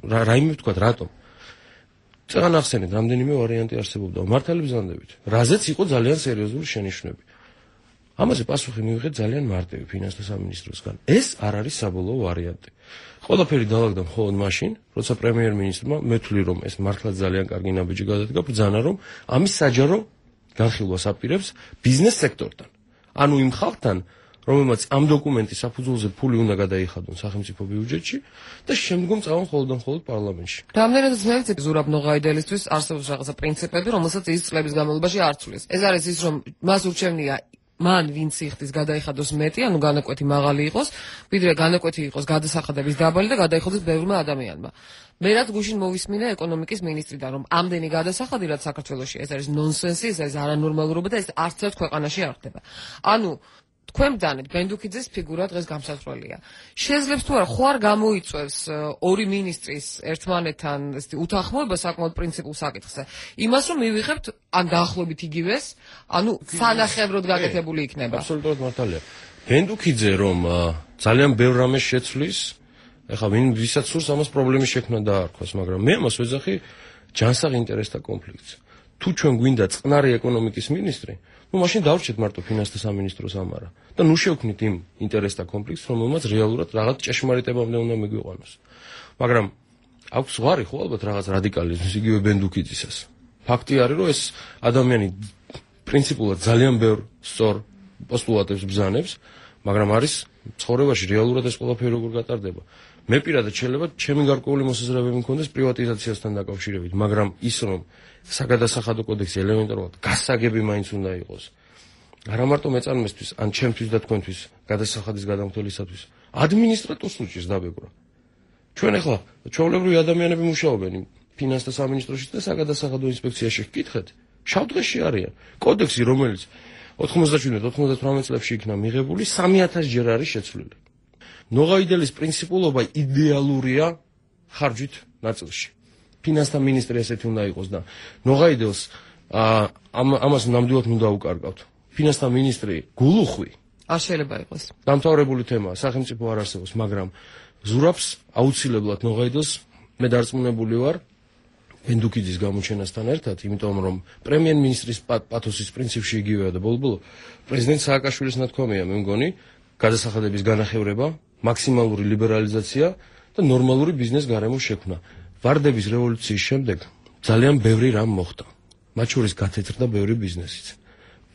რაიმე ვთქვათ, რატომ? წეგან ახსენეთ, რამდენიმე ვარიანტი არსებობდა. მართალი ბრძანდებით, რაზეც იყო ძალიან სერიოზული შენიშვნები. ამაზე პასუხი მივიღეთ ძალიან მარტივი ფინანსთა სამინისტროსგან. ეს არ არის საბოლოო ვარიანტი. ყველაფერი დაალაგდა მხოლოდ მაშინ, როცა პრემიერ-მინისტრმა მეთვლი, რომ ეს მართლა ძალიან კარგი ნაბიჯი გადადგა, ბრძანა, რომ ამის საჯარო განხილვას აპირებს ბიზნეს სექტორთან. ანუ იმ ხალხთან, რომელმაც ამ დოკუმენტის საფუძველზე ფული უნდა გადაიხადონ სახელმწიფო ბიუჯეტში და შემდგომ წავონ მხოლოდ და მხოლოდ პარლამენტში. რამდენადაც მეც ზურაბ ნოღაიდელისთვის არსებობს რაღაცა პრინციპები, რომელსაც ის წლების განმავლობაში არ ცვლის. ეს არის ის, რომ მას ურჩევნია მან ვინც იხდის გადაიხადოს მეტი, ანუ განაკვეთი მაღალი იყოს, ვიდრე განაკვეთი იყოს გადასახადების დაბალი და გადაიხადოს ბევრმა ადამიანმა. მე რაც გუშინ მოვისმინე ეკონომიკის მინისტრიდან, რომ ამდენი გადასახადი რაც საქართველოში, ეს არის ნონსენსი, ეს არის არანორმალურობა და ეს არც ერთ ქვეყანაში არ ხდება. ანუ თქვენ ბძანეთ, ბენდუქიძის ფიგურა დღეს გამსათრველია. შეძლებს თუ არა, ხო არ გამოიწვევს ორი მინისტრის ერთმანეთთან ესეთი უთანხმოება საკმაოდ პრინციპულ საკითხზე. იმას რომ მივიღებთ ან დაახლოებით იგივეს, ანუ სანახევროდ გაკეთებული იქნება. აბსოლუტურად მართალია. ბენდუქიძე რომ ძალიან ბევრ რამეს შეცვლის, ეხლა ვინ ვისაც სურს ამას პრობლემის შექმნა დაარქვას, მაგრამ მე ამას ვეძახი ჯანსაღ ინტერესთა კონფლიქტს. თუ ჩვენ გვინდა წყნარი ეკონომიკის მინისტრი, ну მაშინ დავრჩეთ მარტო ფინანსთა სამინისტროს ამარა და ნუ შევქმნით იმ ინტერესთა კონფლიქტს, რომელმაც რეალურად რაღაც ჭეშმარიტებამდე უნდა მიგვიყვანოს. მაგრამ აქვს ზღვარი ხო ალბათ რაღაც რადიკალიზმის იგივე ბენდუქიძისას. ფაქტი არის, რომ ეს ადამიანი პრინციპულად ძალიან ბევრ სწორ პოსტულატებს ბრძანებს, მაგრამ არის ცხოვრებაში რეალურად ეს ყველაფერი როგორ გატარდება. მე პირადად შეიძლება ჩემი გარკვეული მოსაზრებები მქონდეს პრივატიზაციასთან დაკავშირებით, მაგრამ ის რომ საგადასახადო კოდექსი ელემენტარულად გასაგები მაინც უნდა იყოს. არა მარტო მეწარმესთვის, ან ჩემთვის და თქვენთვის გადასახადის გადამხდელისათვის, ადმინისტრატორს უჭირს დაბეგრვა. ჩვენ ახლა ჩვეულებრივი ადამიანები მუშაობენ ფინანსთა სამინისტროში და საგადასახადო ინსპექციაში. გკითხეთ, შავდღეში არიან. კოდექსი, რომელიც ოთხმოცდაშვიდმე ოთხმოცდათვრამეტ წლებში იქნა მიღებული, სამი ათასი ჯერ არის შეცვლილი. ნოღაიდელის პრინციპულობა იდეალურია ხარჯით ნაწილში. ფინანსთა მინისტრი ესეთი უნდა იყოს და ნოღაიდელს ამას ნამდვილად უნდა უკარგავთ. ფინანსთა მინისტრი გულუხვი არ შეიძლება იყოს. დამთავრებული თემაა, სახელმწიფო არ არსებობს, მაგრამ ზურაბს აუცილებლად ნოღაიდელს მე დარწმუნებული ვარ ბენდუქიძის გამოჩენასთან ერთად, იმიტომ რომ პრემიერ-მინისტრის პათოსის პრინციპში იგივეა და ბოლო-ბოლო პრეზიდენტ სააკაშვილის ნათქვამია, მე მგონი, გადასახადების განახევრება, მაქსიმალური ლიბერალიზაცია და ნორმალური ბიზნეს გარემოს შექმნა. ვარდების რევოლუციის შემდეგ ძალიან ბევრი რამ მოხდა. მათ შორის გათეთრდა ბევრი ბიზნესიც.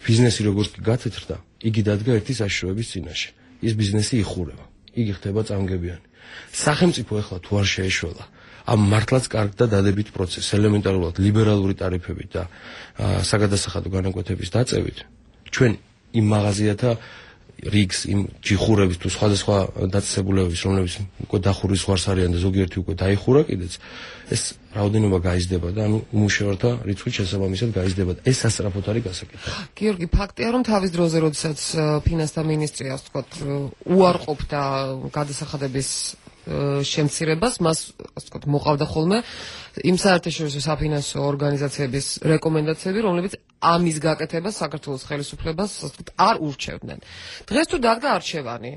ბიზნესი როგორც კი გათეთრდა, იგი დადგა ერთი საშიშროების წინაშე. ის ბიზნესი იხურება. იგი ხდება წამგებიანი. სახელმწიფო ახლა თუ არ შეეშველა ამ მართლაც კარგ და დადებით პროცესს, ელემენტარულად ლიბერალური ტარიფებით და საგადასახადო განაკვეთების დაწევით, ჩვენ იმ მაღაზიათა რიგს, იმ ჯიხურების თუ სხვადასხვა დაწესებულებების, რომლებიც უკვე დახურის ზღვარს არიან და ზოგიერთი უკვე დაიხურა კიდეც, ეს რაოდენობა გაიზრდება და ანუ უმუშევართა რიცხვი შესაბამისად გაიზრდება. ეს სასწრაფოდ არის გასაკეთებელი. გიორგი, ფაქტია, რომ თავის დროზე, როდესაც ფინანსთა მინისტრი, ასე ვთქვათ, უარყოფდა გადასახადების შემცირებას, მას ასე ვთქვათ, მოყავდა ხოლმე იმ საერთაშორისო საფინანსო ორგანიზაციების რეკომენდაციები, რომლებიც ამის გაკეთებას საქართველოს ხელისუფლებას ასე ვთქვათ, არ ურჩევდნენ. დღეს თუ დადგა არჩევანი,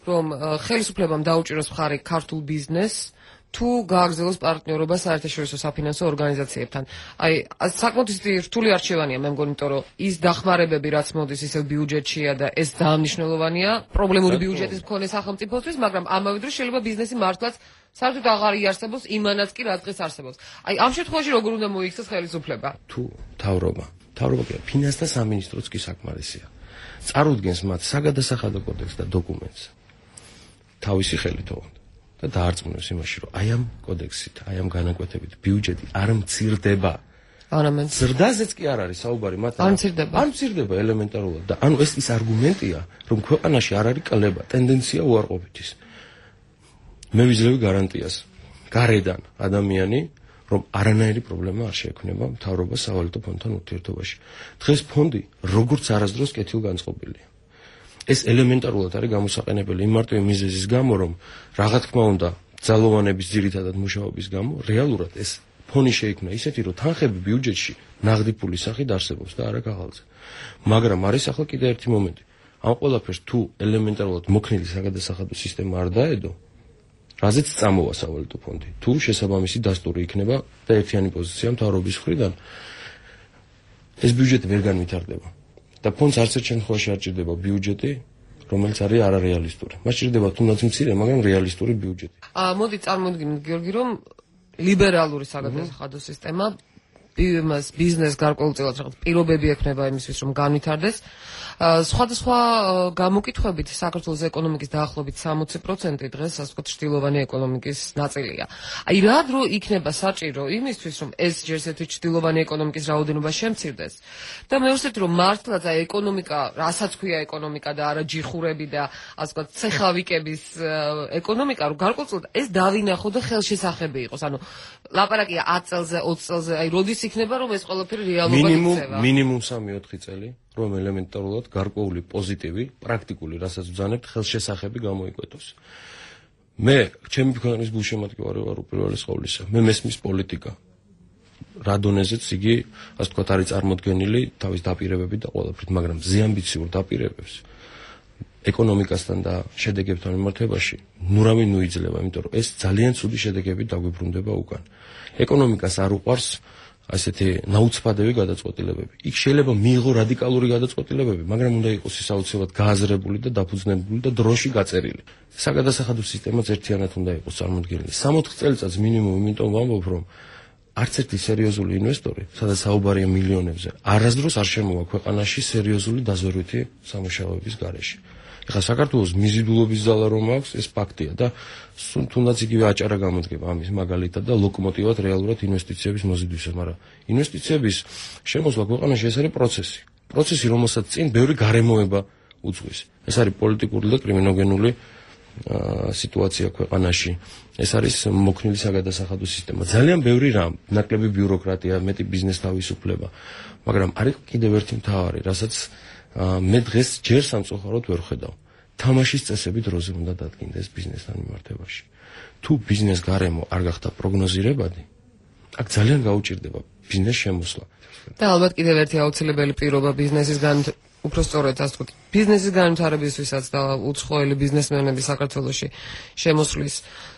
რომ ხელისუფლებამ დაუჭიროს მხარი ქართულ ბიზნესს თუ გააგრძელოს პარტნიორობა საერთაშორისო საფინანსო ორგანიზაციებთან. აი, საკმაოდ რთული არჩევანია, მე მგონი, იმიტომ რომ ის დახმარებები, რაც მოდის ისევ ბიუჯეტშია და ეს დაამნიშნულოვანია პრობლემური ბიუჯეტის მქონე სახელმწიფოსთვის, მაგრამ ამავე დროს შეიძლება ბიზნესი მართლაც საერთოდ აღარ იარსებოს იმანაც კი რაც დღეს არსებობს. აი, ამ შემთხვევაში როგორ უნდა მოიქცეს ხელისუფლება? თუ თავრობა, თავრობა კი ფინანსთა სამინისტროც კი საკმარისია. წარუდგენს მათ საგადასახადო კოდექსს და დოკუმენტს თავისი ხელით ოღონდ და დაარწმუნებს იმაში, რომ აი ამ კოდექსით, აი ამ განაკვეთებით ბიუჯეტი არ მცირდება. არამედ ზრდაზეც კი არ არის საუბარი, მათ არ მცირდება. არ მცირდება ელემენტარულად და ანუ ეს ის არგუმენტია, რომ ქვეყანაში არ არის კლება, ტენდენცია უარყოფითის. მე ვიძლევი გარანტიას გარედან ადამიანი, რომ არანაირი პრობლემა არ შეექმნება მთავრობას სავალუტო ფონდთან ურთიერთობაში. დღეს ფონდი როგორც არასდროს კეთილგანწყობილია. ეს ელემენტარულად არის გამოსაყენებელი იმ მარტივი მიზეზის გამო, რომ რა თქმა უნდა, ძალოვანების ძირითადად მუშაობის გამო, რეალურად ეს ფონი შეიქმნა ისეთი, რომ თანხები ბიუჯეტში ნაღდი ფულის სახით არსებობს და არა ქაღალდზე. მაგრამ არის ახლა კიდე ერთი მომენტი. ამ ყველაფერს თუ ელემენტარულად მოქნილი საგადასახადო სისტემა არ დაედო, რაზეც წამოვა სავალუტო ფონდი. თუ შესაბამისი დასტური იქნება და ერთიანი პოზიცია მთავრობის მხრიდან, ეს ბიუჯეტი ვერ განვითარდება. და ფონდს არც ერთ შემთხვევაში არ ჭირდება ბიუჯეტი, რომელიც არის არარეალისტური. მას ჭირდება თუნდაც მცირე, მაგრამ რეალისტური ბიუჯეტი. აა მოდი წარმოვიდგინოთ გიორგი, რომ ლიბერალური საგადასახადო სისტემა იმას ბიზნეს გარკვეულწილად რაღაც პირობები ექნება იმისთვის, რომ განვითარდეს. სხვადასხვა გამოკითხვებით საქართველოს ეკონომიკის დაახლოებით სამოცი პროცენტი დღეს ასე ვთქვათ ჭრილოვანი ეკონომიკის ნაწილია. აი რა დრო იქნება საჭირო იმისთვის, რომ ეს ჯერ ესეთი ჭრილოვანი ეკონომიკის რაოდენობა შემცირდეს და მეორედ რომ მართლაც აი ეკონომიკა, რასაც ქვია ეკონომიკა და არა ჯიხურები და ასე ვთქვათ ცეხავიკების ეკონომიკა, რომ გარკვეულწილად ეს დავინახო და ხელშესახები იყოს. ანუ ლაპარაკია ათი წელზე, ოცი წელზე, აი როდის იქნება რომ ეს ყველაფერი რეალობად იქცევა? მინიმუმ სამი ოთხი წელი. რომ ელემენტარულად გარკვეული პოზიტივი, პრაქტიკული, რასაც ვძანებთ, ხელშესახები გამოიკვეთოს. მე, ჩემი ქვეყნის გულშემატკივარი ვარ უპირველეს ყოვლისა. მე მესმის პოლიტიკა. რა დონეზეც იგი, ასე ვთქვათ, არის წარმოდგენილი თავის დაპირებებით და ყველაფრით, მაგრამ ზეამბიციურ დაპირებებს ეკონომიკასთან და შედეგებთან მიმართებაში ნურავინ ნუიძლება, იმიტომ რომ ეს ძალიან ცუდი შედეგებით დაგვიბრუნდება უკან. ეკონომიკას არ უყვარს ასეთი ნაუცბადები გადაწყვეტილებები. იქ შეიძლება მიიღო რადიკალური გადაწყვეტილებები, მაგრამ უნდა იყოს ის აუცილებლად გააზრებული და დაფუძნებული და დროში გაწერილი. საგადასახადო სისტემაც ერთიანად უნდა იყოს წარმოდგენილი. სამოთხ წელიწადს მინიმუმ იმიტომ ვამბობ, რომ არც ერთი სერიოზული ინვესტორი, სადაც საუბარია მილიონებზე, არასდროს არ შემოვა ქვეყანაში სერიოზული დაზვერვითი სამუშაოების გარეშე. ეხლა საქართველოს მიზიდულობის ძალა რომ აქვს, ეს ფაქტია და თუნდაც იგივე აჭარა გამოდგება ამის მაგალითად და ლოკომოტივად რეალურად ინვესტიციების მოზიდვისას, მაგრამ ინვესტიციების შემოსვლა ქვეყანაში ეს არის პროცესი. პროცესი, რომელსაც წინ ბევრი გარემოება უძღვის. ეს არის პოლიტიკური და კრიმინოგენული სიტუაცია ქვეყანაში. ეს არის მოქნილი საგადასახადო სისტემა. ძალიან ბევრი რამ, ნაკლები ბიუროკრატია, მეტი ბიზნეს თავისუფლება, მაგრამ არის კიდევ ერთი მთავარი, რასაც მე დღეს ჯერ სამწუხაროდ ვერ ხედავ. თამაშის წესები დროზე უნდა დადგინდეს ბიზნესთან მიმართებაში. თუ ბიზნეს გარემო არ გახდა პროგნოზირებადი, აქ ძალიან გაუჭირდება ბიზნეს შემოსვლა. და ალბათ კიდევ ერთი აუცილებელი პირობა ბიზნესის განვითარება, უფრო სწორედ ასე ვთქვათ, ბიზნესის განვითარებისთვისაც და უცხოელი ბიზნესმენები საქართველოში შემოსვლის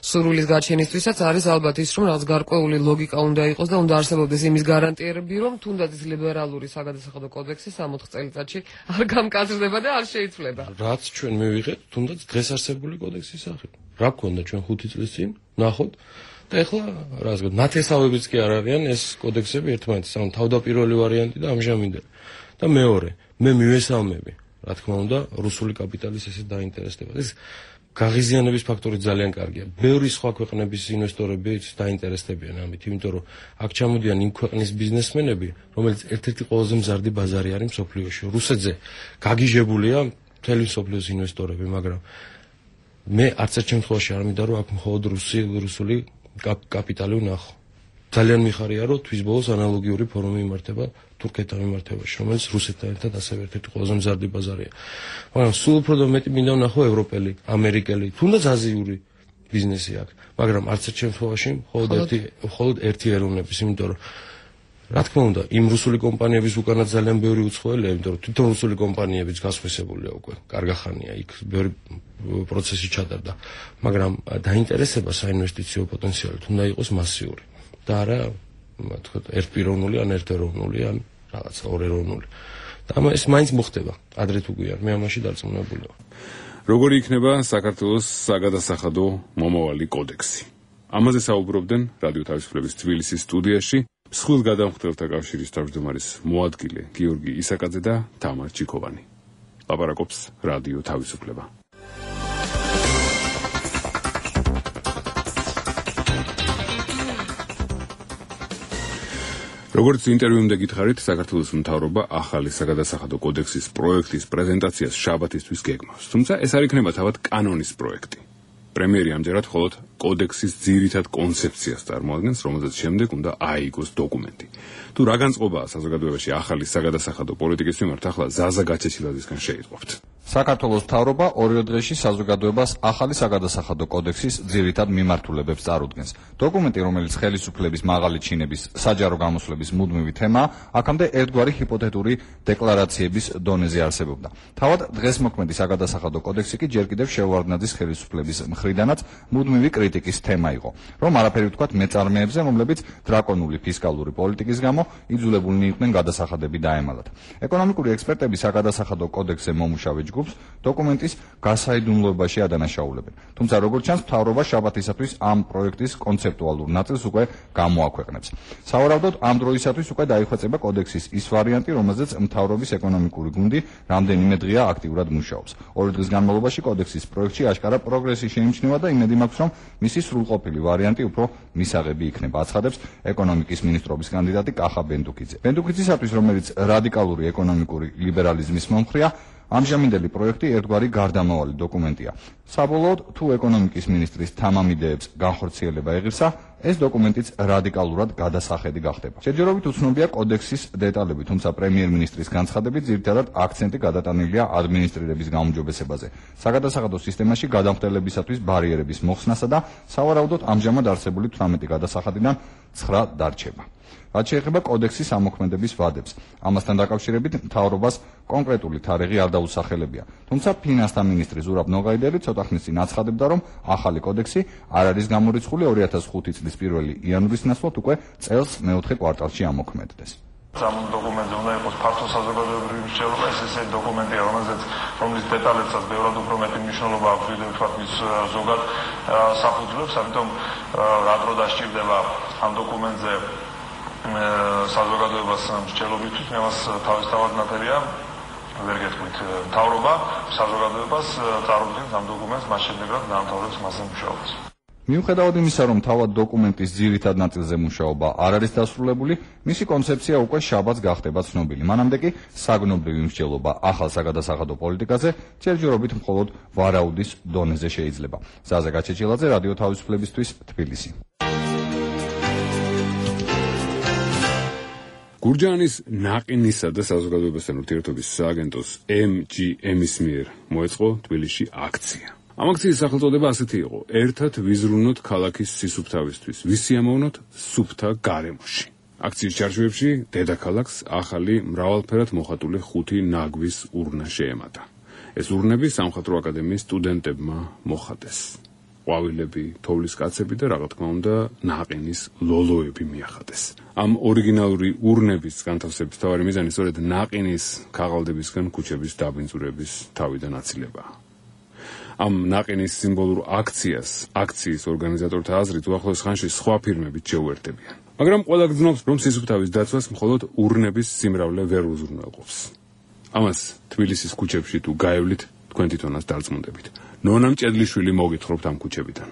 სურვილის გაჩენისთვისაც არის ალბათ ის, რომ რაღაც გარკვეული ლოგიკა უნდა იყოს და უნდა არსებობდეს იმის გარანტიები, რომ თუნდაც ის ლიბერალური საგადასახადო კოდექსი სამოთხ წელიწადში არ გამკაცრდება და არ შეიცვლება. რაც ჩვენ მივიღეთ, თუნდაც დღეს არსებული კოდექსის სახით. რა გქონდა ჩვენ ხუთი წლის წინ, ნახოთ და ეხლა რას გქონდა, ნათესავებიც კი არ არიან ეს კოდექსები ერთმანეთის, ანუ თავდაპირველი ვარიანტი და ამჟამინდელი. და მეორე, მე მივესალმები, რა თქმა უნდა, რუსული კაპიტალის ესეთ დაინტერესდება. ეს გაღიზიანების ფაქტორი ძალიან კარგია. ბევრი სხვა ქვეყნების ინვესტორები დაინტერესდებიან ამით, იმიტომ რომ აქ ჩამოდიან იმ ქვეყნის ბიზნესმენები, რომელიც ერთ-ერთი ყველაზე მზარდი ბაზარი არის მსოფლიოში. რუსეთზე გაგიჟებულია მთელი მსოფლიოს ინვესტორები, მაგრამ მე არც ერთ შემთხვევაში არ მინდა რომ აქ მხოლოდ რუსი რუსული კაპიტალი ვნახო. ძალიან მიხარია რომ თვის ბოლოს ანალოგიური ფორუმი იმართება თურქეთთან მიმართებაში, რომელიც რუსეთთან ერთად ასევე ერთ-ერთი ყველაზე მზარდი ბაზარია. მაგრამ სულ უფრო და მეტი მინდა ვნახო ევროპელი, ამერიკელი, თუნდაც აზიური ბიზნესი აქვს, მაგრამ არც ერთ შემთხვევაში მხოლოდ ერთი მხოლოდ ერთი ეროვნების, იმიტომ რომ რა თქმა უნდა, იმ რუსული კომპანიების უკანაც ძალიან ბევრი უცხოელია, იმიტომ რომ თვითონ რუსული კომპანიებიც გასხვისებულია უკვე, კარგახანია, იქ ბევრი პროცესი ჩატარდა, მაგრამ დაინტერესება საინვესტიციო პოტენციალით უნდა იყოს მასიური და არა, თქვა, ერთპიროვნული ან ერთეროვნული ან რაღაცა ორეროვნული. და ეს მაინც მოხდება, ადრე თუ გვიან, მე ამაში დარწმუნებული ვარ. როგორი იქნება საქართველოს საგადასახადო მომავალი კოდექსი? ამაზე საუბრობდნენ რადიო თავისუფლების თბილისის სტუდიაში მსხვილ გადამხდელთა კავშირის თავმჯდომარის მოადგილე გიორგი ისაკაძე და თამარ ჩიქოვანი. ლაპარაკობს რადიო თავისუფლება. როგორც ინტერვიუმდე გითხარით, საქართველოს მთავრობა ახალი საგადასახადო კოდექსის პროექტის პრეზენტაციას შაბათისთვის გეგმავს. თუმცა ეს არ იქნება თავად კანონის პროექტი. პრემიერი ამჯერად მხოლოდ კოდექსის ძირითად კონცეფციას წარმოადგენს, რომელზეც შემდეგ უნდა აიგოს დოკუმენტი. თუ რა განწყობაა საზოგადოებაში ახალი საგადასახადო პოლიტიკის მიმართ, ახლა ზაზა გაჩეჩილაძისგან შეიტყობთ. საქართველოს მთავრობა ორივე დღეში საზოგადოებას ახალი საგადასახადო კოდექსის ძირითად მიმართულებებს წარუდგენს. დოკუმენტი, რომელიც ხელისუფლების მაღალი ჩინების საჯარო გამოსვლების მუდმივი თემაა, აქამდე ერთგვარი ჰიპოთეტური დეკლარაციების დონეზე არსებობდა. თავად დღეს მოქმედი საგადასახადო კოდექსი კი ჯერ კიდევ შევარდნაძის ხელისუფლების მხრიდანაც მუდმივი კრიტიკის თემა იყო, რომ არაფერი ვთქვათ მეწარმეებზე, რომლებიც დრაკონული ფისკალური პოლიტიკის გამო იძულებულნი იყვნენ გადასახადები დაემალათ. ეკონომიკური ექსპერტები საგადასახადო კოდექსზე მომუშავე ჯგუფს დოკუმენტის გასაიდუმლოებაში ადანაშაულებენ. თუმცა როგორც ჩანს, მთავრობა შაბათისათვის ამ პროექტის კონცეპტუალურ ნაწილს უკვე გამოაქვეყნებს. სავარაუდოდ ამ დროისათვის უკვე დაიხვეწება კოდექსის ის ვარიანტი, რომელზეც მთავრობის ეკონომიკური გუნდი რამდენიმე დღეა აქტიურად მუშაობს. ორი დღის განმავლობაში კოდექსის პროექტში აშკარა პროგრესი შეიმჩნევა და იმედი მაქვს, რომ მისი სრულყოფილი ვარიანტი უფრო მისაღები იქნება, აცხადებს ეკონომიკის მინისტრობის კანდიდატი კახა ბენდუკიძე. ბენდუკიძისათვის, რომელიც რადიკალური ეკონომიკური ლიბერალიზმის მომხრეა, ამჟამინდელი პროექტი ერთგვარი გარდამავალი დოკუმენტია. საბოლოოდ, თუ ეკონომიკის მინისტრის თამამ იდეებს განხორციელება ეღირსა, ეს დოკუმენტიც რადიკალურად გადასახედი გახდება. შეჯერობით უცნობია კოდექსის დეტალები, თუმცა პრემიერ-მინისტრის განცხადებით ძირითადად აქცენტი გადატანილია ადმინისტრირების გაუმჯობესებაზე, საგადასახადო სისტემაში გადამხდელებისათვის ბარიერების მოხსნასა და სავარაუდოდ ამჟამად არსებული თვრამეტი გადასახადიდან ცხრა დარჩება. რაც შეეხება კოდექსის ამოქმედების ვადებს, ამასთან დაკავშირებით მთავრობას კონკრეტული თარიღი არ დაუსახელებია. თუმცა ფინანსთა მინისტრი ზურაბ ნოღაიდელი ცოტა ხნის წინ აცხადებდა, რომ ახალი კოდექსი არ არის გამორიცხული ორი ათას ხუთი წლის პირველი იანვრის ნაცვლად უკვე წელს მეოთხე კვარტალში ამოქმედდეს. ამ დოკუმენტზე უნდა იყოს ფართო საზოგადოებრივი მსჯელობა, ეს ესე დოკუმენტია, რომელზეც რომლის დეტალებსაც ბევრად უფრო მეტი მნიშვნელობა აქვს, ვიდრე ვთქვათ მის ზოგად საფუძვლებს, ამიტომ რა დრო დასჭირდება ამ დოკუმენტზე საზოგადოებას მსჯელობისთვის, მე მას თავისთავად ნათელია ვერ გეტყვით, მთავრობა საზოგადოებას წარუდგენს ამ დოკუმენტს, მას შემდეგ რაც დაამთავრებს მასზე მუშაობას. მიუხედავად იმისა, რომ თავად დოკუმენტის ძირითად ნაწილზე მუშაობა არ არის დასრულებული, მისი კონცეფცია უკვე შაბათს გახდება ცნობილი. მანამდე კი საგნობრივი მსჯელობა ახალ საგადასახადო პოლიტიკაზე ჯერჯერობით მხოლოდ ვარაუდის დონეზე შეიძლება. ზაზა გაჩეჩილაძე, რადიო თავისუფლებისთვის, თბილისი. გურჯაანის ნაყინისა და საზოგადოებასთან ურთიერთობის სააგენტოს ემ ჯი ემ-ის მიერ მოეწყო თბილისში აქცია. ამ აქციის სახელწოდება ასეთი იყო: ერთად ვიზრუნოთ ქალაქის სისუფთავისთვის, ვისიამოვნოთ სუფთა გარემოში. აქციის ჩარჩოებში დედაქალაქს ახალი მრავალფერად მოხატული ხუთი ნაგვის ურნა შეემატა. ეს ურნები სამხატვრო აკადემიის სტუდენტებმა მოხატეს. ყვავილები, თოვლის კაცები და რა თქმა უნდა ნაყინის ლოლოები მიახატეს. ამ ორიგინალური ურნების განთავსების მთავარი მიზანი სწორედ ნაყინის ქაღალდებისგან ქუჩების დაბინძურების თავიდან აცილებაა. ამ ნაყინის სიმბოლურ აქციას აქციის ორგანიზატორთა აზრით უახლოეს ხანში სხვა ფირმებით შეუერთებიან. მაგრამ ყველა გძნობს, რომ სისუფთავის დაცვას მხოლოდ ურნების სიმრავლე ვერ უზრუნველყოფს. ამას თბილისის ქუჩებში თუ გაევლით, თქვენ თვითონაც დარწმუნდებით. ნონა მჭედლიშვილი მოგითხრობთ ამ ქუჩებიდან.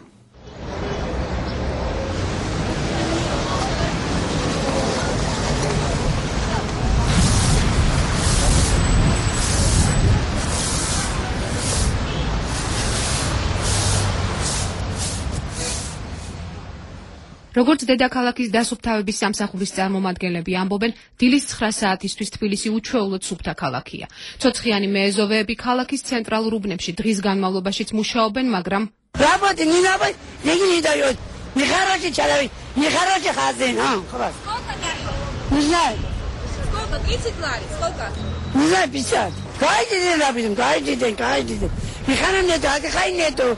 როგორც დედაქალაქის დასუფთავების სამსახურის წარმომადგენლები ამბობენ, დილის ცხრა საათისთვის თბილისი უჩვეულოდ სუფთა ქალაქია. ცოცხიანი მეეზოვეები ქალაქის ცენტრალურ უბნებში დღის განმავლობაშიც მუშაობენ, მაგრამ работы не надо, деньги не дают. Нехороший человек, нехороший хозяин, а? Не знаю. Сколько? тридцать лари? Сколько? Не знаю, пятьдесят. Каждый день работаем, каждый день, каждый день. Механа нету, акахай нету.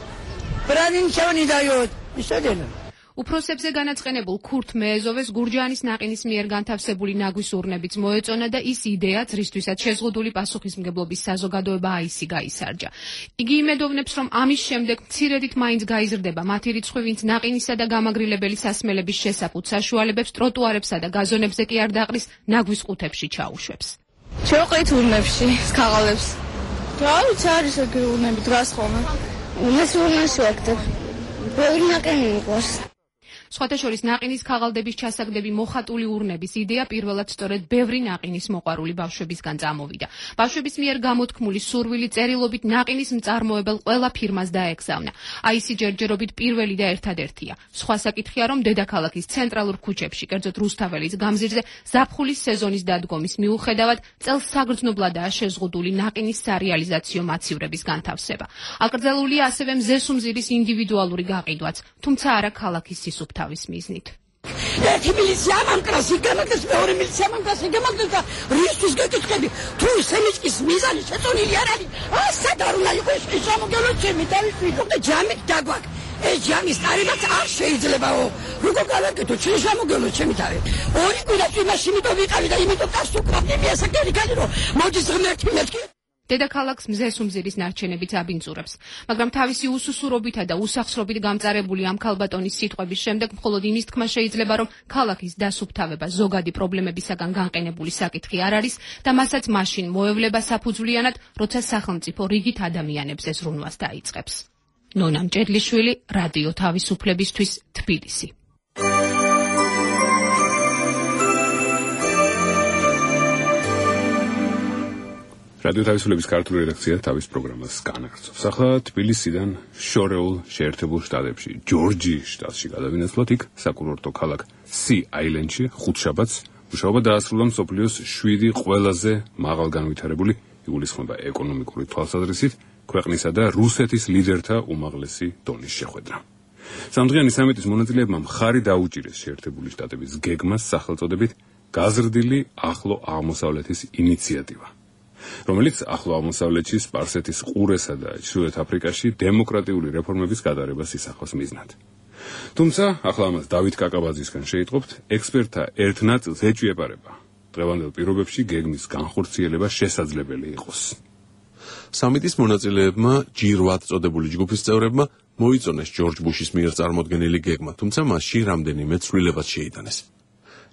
Брани ничего не дает. И что делаем? უფროსებზე განაწყენებულ ქურთ მეეზოვეს გურჯაანის ნაყინის მიერ განთავსებული ნაგვის ურნებიც მოეწონა და ის იდეაც, რისთვისაც შეზღუდული პასუხისმგებლობის საზოგადოება აისი გაისარჯა. იგი იმედოვნებს, რომ ამის შემდეგ მცირედით მაინც გაიზრდება მათი რიცხვი, ვინც ნაყინისა და გამაგრილებელი სასმელების შესაფუთ საშუალებებს ტროტუარებსა და გაზონებზე კი არ დაყრის, ნაგვის ყუთებში ჩაუშვებს. შევყით ურნებში, სქაღალებს. რა ვიცი, არის ეგ ურნები დგას ხოლმე. უნეს ურნაში ვაკეთებ. ბევრი ნაყინი მიყვარს. სხვათა შორის ნაყინის ქაღალდების ჩასაგდები მოხატული ურნების იდეა პირველად სწორედ ბევრი ნაყინის მოყვარული ბავშვებისგან წამოვიდა. ბავშვების მიერ გამოთქმული სურვილი წერილობით ნაყინის მწარმოებელ ყველა ფირმას დაეგზავნა. აისი ჯერჯერობით პირველი და ერთადერთია. სხვა საკითხია, რომ დედაქალაქის ცენტრალურ ქუჩებში, კერძოდ რუსთაველის გამზირზე, ზაფხულის სეზონის დადგომის მიუხედავად, წელს საგრძნობლადაა შეზღუდული ნაყინის სარეალიზაციო მაცივრების განთავსება. აკრძალულია ასევე მზესუმზირის ინდივიდუალური გაყიდვაც, თუმცა არა ქალაქის სისუფთავის მიზნით. ერთი მილიცია ამამკრას იგამაგდეს, მეორე მილიცია ამამკრას იგამაგდეს და რისთვის გეკითხები, თუ სემიჭკის მიზანი შეწონილი არ არის, აა სად არ უნდა იყოს ეს შემოგელო ჩემი დავიშვიდო და ჯამით დაგვაკ. ეს ჯამის წარებაც არ შეიძლებაო. როგორ გავაკეთო ჩემი შემოგელო ჩემი თავი. ორი კვირა იმაში იმიტომ ვიყავი და იმიტომ გასუკრავდი მიასაკერი კანი რომ მოდის ღმერთი მეთქი. დედაქალაქს მზესუმზირის ნარჩენებიც აბინძურებს, მაგრამ თავისი უსუსურობითა და უსახსრობით გამწარებული ამ ქალბატონის სიტყვების შემდეგ მხოლოდ იმის თქმა შეიძლება, რომ ქალაქის დასუფთავება ზოგადი პრობლემებისაგან განყენებული საკითხი არ არის და მასაც მაშინ მოევლება საფუძვლიანად, როცა სახელმწიფო რიგით ადამიანებზე ზრუნვას დაიწყებს. ნონა მჭედლიშვილი, რადიო თავისუფლებისთვის, თბილისი. რადიო თავისუფლების ქართული რედაქცია თავის პროგრამას განაგრძობს. ახლა თბილისიდან შორეულ შეერთებულ შტატებში, ჯორჯიის შტატში გადავინაცვლოთ, იქ საკურორტო ქალაქ სი-აილენდში ხუთშაბათს მუშაობა დაასრულა მსოფლიოს შვიდი ყველაზე მაღალ განვითარებული იგულისხმება ეკონომიკური თვალსაზრისით ქვეყნისა და რუსეთის ლიდერთა უმაღლესი დონის შეხვედრა. სამდღიანი სამიტის მონაწილეებმა მხარი დაუჭირეს შეერთებული შტატების გეგმას სახელწოდებით გაზრდილი ახლო აღმოსავლეთის ინიციატივა, რომელიც ახლო აღმოსავლეთში, სპარსეთის ყურესა და ჩრდილოეთ აფრიკაში დემოკრატიული რეფორმების გადარებას ისახავს მიზნად. თუმცა, ახლა ამას დავით კაკაბაძისგან შეიტყობთ, ექსპერტთა ერთ ნაწილს ეჭვიებარება დღევანდელ პირობებში გეგმის განხორციელება შესაძლებელი იყოს. სამიტის მონაწილეებმა ჯი რვა წოდებული ჯგუფის წევრებმა მოიწონეს ჯორჯ ბუშის მიერ წარმოდგენილი გეგმა, თუმცა მასში რამდენიმე ცვლილებაც შეიტანეს.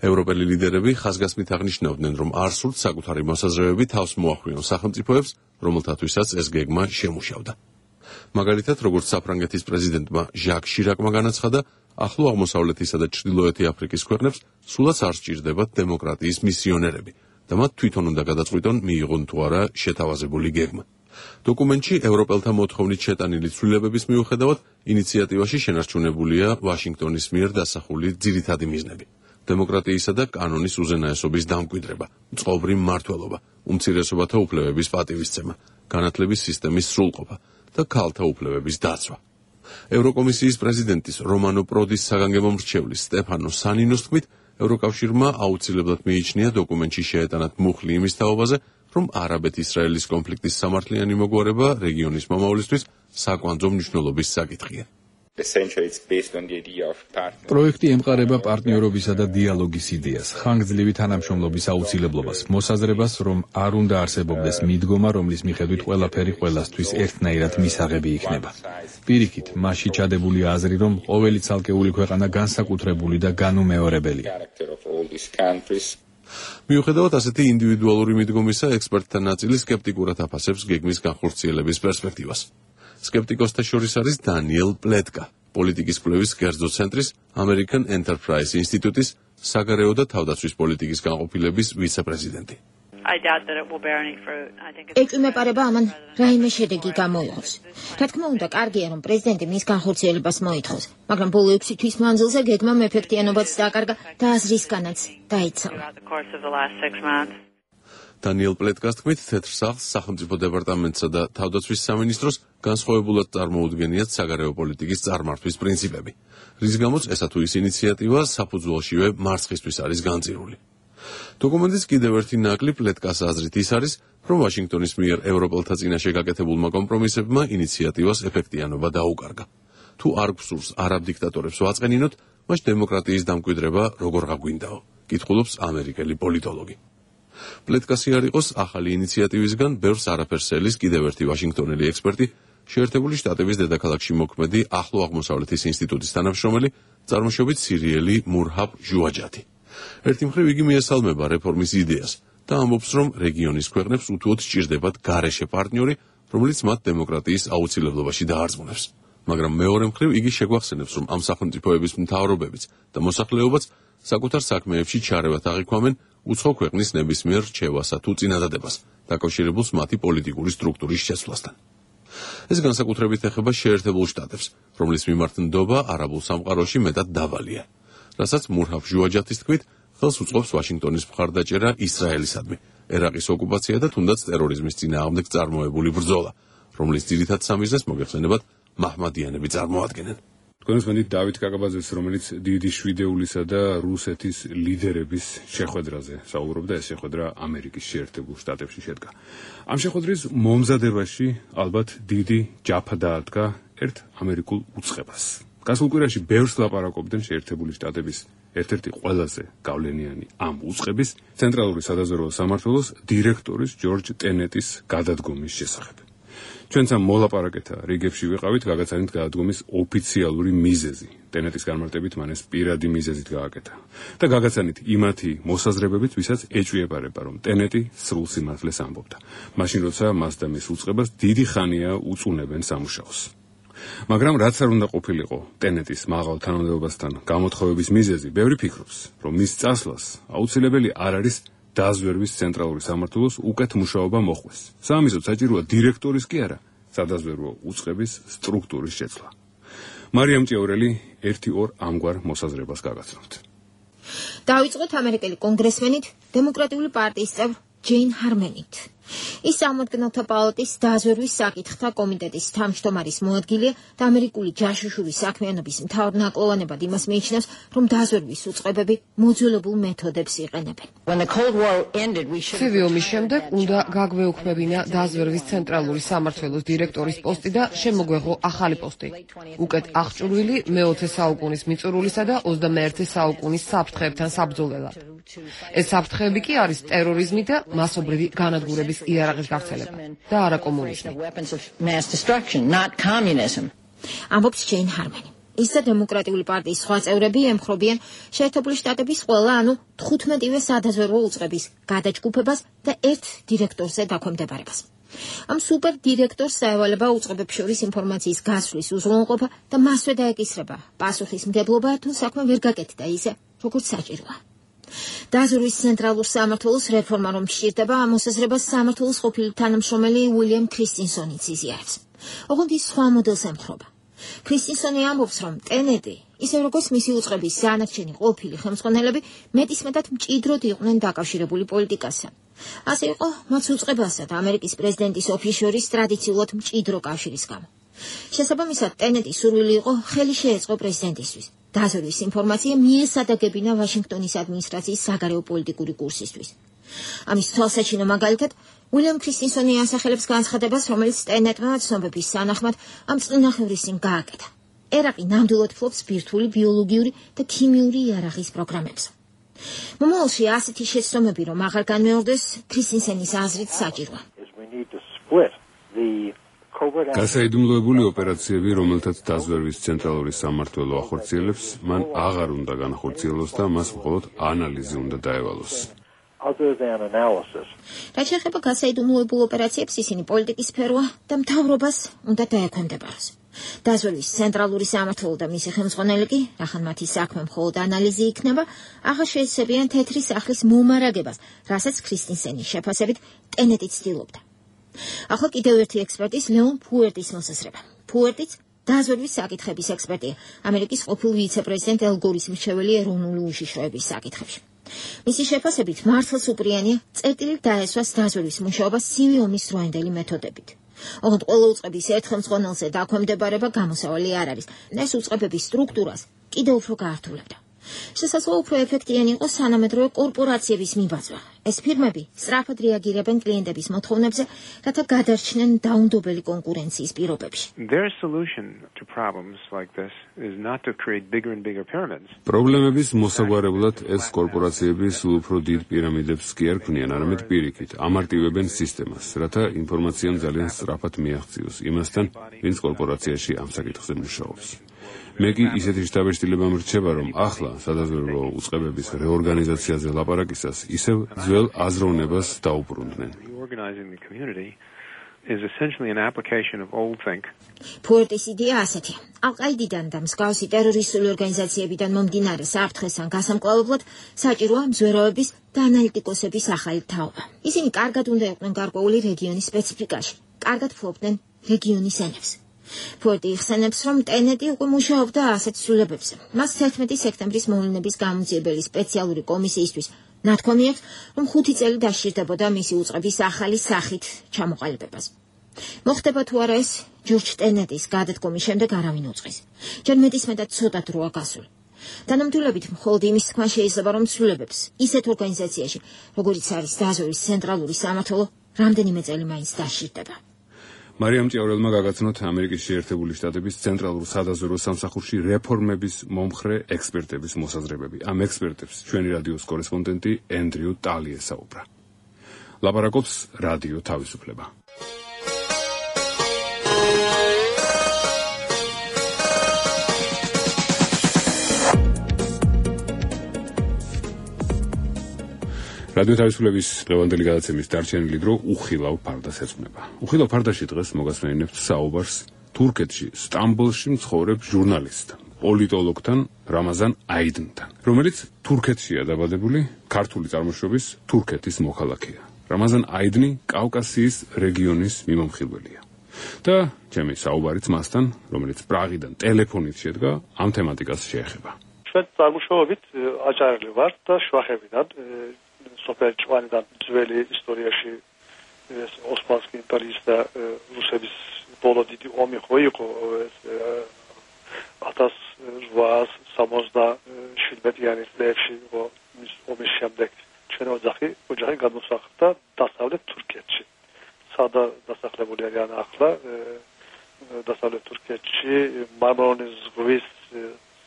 ევროპელი ლიდერები ხაზგასმით აღნიშნავდნენ, რომ არ სურთ საკუთარი მოსაზრებები თავს მოახვიონ სახელმწიფოებს, რომელთათვისაც ეს გეგმა შემუშავდა. მაგალითად, როგორც საფრანგეთის პრეზიდენტმა ჟაკ შირაკმა განაცხადა, ახლო აღმოსავლეთისა და ჩრდილოეთი აფრიკის ქვეყნებს სულაც არ სჭირდებათ დემოკრატიის მისიონერები და მათ თვითონ უნდა გადაწყვიტონ მიიღონ თუ არა შეთავაზებული გეგმა. დოკუმენტში ევროპელთა მოთხოვნით შეტანილი ცვლილებების მიუხედავად, ინიციატივაში შენარჩუნებულია ვაშინგტონის მიერ დასახული ძირითადი მიზნები. დემოკრატიისა და კანონის უზენაესობის დამკვიდრება, წყობრი მმართველობა, უმცირესობათა უფლებების პატივისცემა, განათლების სისტემის სრულყოფა და ქალთა უფლებების დაცვა. ევროკომისიის პრეზიდენტის რომანო პროდის საგანგებო მრჩევლის სტეფანო სანინოს თქმით, ევროკავშირმა აუცილებლად მიიჩნია დოკუმენტში შეეტანათ მუხლი იმის თაობაზე, რომ არაბეთ-ისრაელის კონფლიქტის სამართლიანი მოგვარება რეგიონის მომავლისთვის საკვანძო მნიშვნელობის საკითხია. პროექტი ემყარება პარტნიორობისა და დიალოგის იდეას, ხანგრძლივი თანამშრომლობის აუცილებლობას, მოსაზრებას, რომ არ უნდა არსებობდეს მიდგომა, რომლის მიხედვით ყველაფერი ყველასთვის ერთნაირად მისაღები იქნება. პირიქით, მასში ჩადებულია აზრი, რომ ყოველი ცალკეული ქვეყანა განსაკუთრებული და განუმეორებელია. მიუხედავად ასეთი ინდივიდუალური მიდგომისა, ექსპერტთა ნაწილი სკეპტიკურად აფასებს გეგმის განხორციელების პერსპექტივას. სკეპტიკოსთა შორის არის დანიელ პლეტკა, პოლიტიკის კვლევის კერძო ცენტრის American Enterprise ინსტიტუტის საგარეო და თავდაცვის პოლიტიკის განყოფილების ვიცე-პრეზიდენტი. ეჭვმეპარება ამან რაიმე შედეგი გამოიღოს. რა თქმა უნდა, კარგია, რომ პრეზიდენტი მის განხორციელებას მოითხოვს, მაგრამ ბოლო ექვსი თვის მანძილზე გეგმამ ეფექტიანობაც დააკარგა და აზრისგანაც დაიცალა. დანიელ პლეტკას თქმით, თეთრ სახლს, სახელმწიფო დეპარტამენტსა და თავდაცვის სამინისტროს განსხვავებულად წარმოუდგენიათ საგარეო პოლიტიკის წარმართვის პრინციპები, რის გამოც ესა თუ ის ინიციატივა საფუძველშივე მარცხისთვის არის განწირული. დოკუმენტის კიდევ ერთი ნაკლი პლეტკას აზრით ის არის, რომ ვაშინგტონის მიერ ევროპელთა წინაშე გაკეთებულმა კომპრომისებმა ინიციატივას ეფექტიანობა დაუკარგა. თუ არ გვსურს არაბ დიქტატორებს ვაწყენინოთ, მას დემოკრატიის დამკვიდრება როგორ გაგვინდაო, კითხულობს ამერიკელი პოლიტოლოგი. პლეტკასი არ იყოს ახალი ინიციატივისგან ბევრს არაფერს ელის კიდევ ერთი ვაშინგტონელი ექსპერტი, შეერთებული შტატების დედაქალაქში მოქმედი ახლო აღმოსავლეთის ინსტიტუტის თანამშრომელი, წარმოშობით სირიელი მურჰაბ ჟუაჯათი. ერთი მხრივ იგი მიესალმება რეფორმის იდეას და ამბობს, რომ რეგიონის ქვეყნებს უთუოდ სჭირდებათ გარეშე პარტნიორი, რომელიც მათ დემოკრატიის აუცილებლობაში დაარწმუნებს. მაგრამ მეორე მხრივ იგი შეგვახსენებს, რომ ამ სახელმწიფოების მთავრობებიც და მოსახლეობაც საკუთარ საქმეებში ჩარევათ აღიქვამენ უცხო ქვეყნის ნებისმიერ რჩევასა თუ წინადადებას, დაკავშირებულს მათი პოლიტიკური სტრუქტურის შეცვლასთან. ეს განსაკუთრებით ეხება შეერთებულ შტატებს, რომლის მიმართ ნდობა არაბულ სამყაროში მეტად დაბალია. რასაც მურჰაბ ჟუაჯათის თქმით, ხელს უწყობს ვაშინგტონის მხარდაჭერა ისრაელისადმი, ერაყის ოკუპაცია და თუნდაც ტერორიზმის წინააღმდეგ წარმოებული ბრძოლა, რომლის ძირითად სამიზნეს მოგეხსენებათ მაჰმადიანები წარმოადგენენ. თქვენს მენით დავით კაკაბაძეს, რომელიც დიდი შვიდეულისა და რუსეთის ლიდერების შეხვედრაზე საუბრობდა, ეს შეხვედრა ამერიკის შეერთებულ შტატებში შედგა. ამ შეხვედრის მომზადებაში ალბათ დიდი ჯაფა დაადგა ერთ ამერიკულ უწყებას. გასულ კვირაში ბევრს ლაპარაკობდნენ შეერთებული შტატების ერთ-ერთი ყველაზე გავლენიანი ამ უწყების ცენტრალური სადაზვერვო სამმართველოს დირექტორის ჯორჯ ტენეტის გადადგომის შესახებ. ჩვენც ამ მოლაპარაკეთა რიგებში ვიყავით გაგაცანით გადადგომის ოფიციალური მიზეზი. ტენეტის განმარტებით მან ეს პირადი მიზეზით გააკეთა. და გაგაცანით იმათი მოსაზრებებით, ვისაც ეჭვიებარება, რომ ტენეტი სრულ სიმართლეს ამბობდა. მაშინ როცა მას და მის უწყებას დიდი ხანია უწუნებენ სამუშაოს. მაგრამ რაც არ უნდა ყოფილიყო ტენეტის მაღალ თანამდებობასთან გამოთხოვების მიზეზი, ბევრი ფიქრობს, რომ მის წასვლას აუცილებელი არ არის დაზვერვის ცენტრალური სამმართველოს უკეთ მუშაობა მოხდეს. სამიზოთ საჭიროა დირექტორის კი არა, სადაზვერვო უწყების სტრუქტურის შეცვლა. მარიამ ჭიაურელი ერთი ორ ამგვარ მოსაზრებას გაგაცნობთ. დავიწყოთ ამერიკელი კონგრესმენით, დემოკრატიული პარტიის წევრ ჯეინ ჰარმენით. ის წარმომადგენელთა პალატის დაზვერვის საკითხთა კომიტეტის თავმჯდომარის მოადგილეა და ამერიკული ჯაშუშური საქმიანობის მთავარ ნაკლოვანებად იმას მიიჩნევს, რომ დაზვერვის უწყებები მოძველებულ მეთოდებს იყენებენ. ცივი ომის შემდეგ უნდა გაგვეუქმებინა დაზვერვის ცენტრალური სამმართველოს დირექტორის პოსტი და შემოგვეღო ახალი პოსტი. უკეთ აღჭურვილი მეოცე საუკუნის მიწურულისა და ოცდამეერთე საუკუნის საფრთხეებთან საბრძოლველად. ეს საფრთხეები კი არის ტერორიზმი და მასობრივი განადგურების იარაღის გავრცელება და არა კომუნიზმი. ამბობს ჯეინ ჰარმენი. ის და დემოკრატიული პარტიის სხვა წევრები ემხრობიან შეერთებული შტატების ყველა, ანუ თხუთმეტივე სადაზვერვო უწყების გადაჯგუფებას და ერთ დირექტორზე დაქვემდებარებას. ამ სუპერ დირექტორს საევალება უწყებებს შორის ინფორმაციის გასვლის უზრუნველყოფა და მასვე დაეკისრება პასუხისმგებლობა, თუ საქმე ვერ გაკეთდა ისე, როგორც საჭიროა. დაზვერვის ცენტრალურ სამმართველოს რეფორმა რომ სჭირდება, მოსაზრებას სამმართველოს ყოფილი თანამშრომელი უილიამ ქრისტინსონიც იზიარებს. ოღონდ ის სხვა მოდელს ემხრობა. ქრისტინსონი ამბობს, რომ ტენეტი, ისე როგორც მისი უწყების ზანარჩენი ყოფილი ხელმძღვანელები, მეტისმეტად მჭიდროდ იყვნენ დაკავშირებული პოლიტიკასთან. ასე იყო მათ უწყებასა და ამერიკის პრეზიდენტის ოფისს შორის ტრადიციულად მჭიდრო კავშირის გამო. შესაბამისად, ტენეტის სურვილი იყო ხელი შეეწყო პრეზიდენტისთვის. დაზვერვის ინფორმაცია მიესადაგებინა ვაშინგტონის ადმინისტრაციის საგარეო პოლიტიკური კურსისთვის. ამის თვალსაჩინო მაგალითად, უილიამ ქრისტინსონი ასახელებს განცხადებას, რომელიც ტენეტმა ცნობების სანახმად ამ წინახევრის წინ გააკეთა. ერაყი ნამდვილად ფლობს ბირთვული ბიოლოგიური და ქიმიური იარაღის პროგრამებს. მომავალში ასეთი შეცდომები რომ აღარ განმეორდეს, ქრისტინსენის აზრით საჭიროა. გასაიდუმლოებული ოპერაციები, რომელთაც დაზვერვის ცენტრალური სამმართველო ახორციელებს, მან აღარ უნდა განახორციელოს და მას მხოლოდ ანალიზი უნდა დაევალოს. რაც შეეხება გასაიდუმლოებულ ოპერაციებს, ისინი პოლიტიკის სფეროა და მთავრობას უნდა დაექვემდებაროს. დაზვერვის ცენტრალური სამმართველო და მისი ხელმძღვანელი კი, რახან მათი საქმე მხოლოდ ანალიზი იქნება, აღარ შეეცებიან თეთრი სახლის მომარაგებას, რასაც ქრისტინსენის შეფასებით ტენეტი ცდილობდა. ახლა კიდევ ერთი ექსპერტის ლეონ ფუერტის მოსაზრება. ფუერტიც დაზვერვის საკითხების ექსპერტია, ამერიკის ყოფილ ვიცე-პრეზიდენტ ელ გორის მრჩეველი ეროვნული უშიშროების საკითხებში. მისი შეფასებით მართლაც უპრიანია წერტილით დაესვას დაზვერვის მუშაობა ცივი ომის დროინდელი მეთოდებით. ოღონდ ყველა უწყების ერთ ხელმძღვანელზე დაქვემდებარება გამოსავალი არ არის. ეს უწყებების სტრუქტურას კიდევ უფრო გაართულებდა. შესაძლოა უფრო ეფექტიანი იყოს თანამედროვე კორპორაციების მიბაძვა. ეს ფირმები სწრაფად რეაგირებენ კლიენტების მოთხოვნებზე, რათა გადარჩნენ დაუნდობელი კონკურენციის პირობებში. Their solution to problems like this is not to create bigger and bigger pyramids. პრობლემების მოსაგვარებლად ეს კორპორაციები სულ უფრო დიდ პირამიდებს კი არ ქმნიან, არამედ პირიქით ამარტივებენ სისტემას, რათა ინფორმაციამ ძალიან სწრაფად მიაღწიოს იმასთან, ვინც კორპორაციაში ამ საკითხზე მუშაობს. მე კი ისეთი შთაბეჭდილება მრჩება, რომ ახლა სადაზვერვო უწყებების რეორგანიზაციაზე ლაპარაკისას ისევ ძველ აზროვნებას დაუბრუნდნენ. Reorganizing the community is essentially an application of old think. ფუერტის იდეა ასეთია. ალ-ყაიდიდან და მსგავსი ტერორისტული ორგანიზაციებიდან მომდინარე საფრთხესთან გასამკლავებლად საჭიროა მზვერავების და ანალიტიკოსების ახალი თაობა. ისინი კარგად უნდა იყვნენ გარკვეული რეგიონის სპეციფიკაში, კარგად ფლობდნენ რეგიონის ენებს. ფუერტი იხსენებს, რომ ტენეტი უკვე მუშაობდა ასეთ ცვლილებებზე. მას თერთმეტი სექტემბრის მოვლენების გამოძიებელი სპეციალური კომისიისთვის ნათქვამი აქვს, რომ ხუთი წელი დასჭირდებოდა მისი უწყების ახალი სახით ჩამოყალიბებას. მოხდება თუ არა ეს, ჯორჯ ტენეტის გადადგომის შემდეგ არავინ უწყის. ჯერ მეტისმეტად ცოტა დროა გასული. თანამდებობით მხოლოდ იმის თქმა შეიძლება, რომ ცვლილებებს ისეთ ორგანიზაციაში, როგორიც არის დაზვერვის ცენტრალური სამმართველო, რამდენიმე წელი მაინც დასჭირდება. მარიამ ჭიაურელმა გაგაცნოთ ამერიკის შეერთებული შტატების ცენტრალურ სადაზვერვო სამსახურში რეფორმების მომხრე ექსპერტების მოსაზრებები. ამ ექსპერტებს ჩვენი რადიოს კორესპონდენტი ენდრიუ ტალი ესაუბრა. ლაპარაკობს რადიო თავისუფლება. რადიო თავისუფლების დღევანდელი გადაცემის დარჩენილი დრო უხილავ ფარდას ეძღვნება. უხილავ ფარდაში დღეს მოგასმენინებთ საუბარს თურქეთში, სტამბოლში მცხოვრებ ჟურნალისტთან, პოლიტოლოგთან რამაზან აიდნთან, რომელიც თურქეთშია დაბადებული, ქართული წარმოშობის თურქეთის მოქალაქეა. რამაზან აიდნი კავკასიის რეგიონის მიმომხილველია. და ჩემი საუბარიც მასთან, რომელიც პრაღიდან ტელეფონით შედგა, ამ თემატიკას შეეხება. ჩვენ წარმოშობით აჭარელი ვართ და შვახებიდან სოფელ ჭვანიდან ძველი ისტორიაში ოსმალეთის იმპერიის და რუსების ბოლო დიდი ომი ხო იყო ათას რვაას სამოცდაშვიდმეტიანი წლებში ომის შემდეგ ჩვენ ოჯახი ოჯახი გადმოსახლდა დასავლეთ თურქეთში. სადა დასახლებული არიან ახლა დასავლეთ თურქეთში მარმარონის ზღვის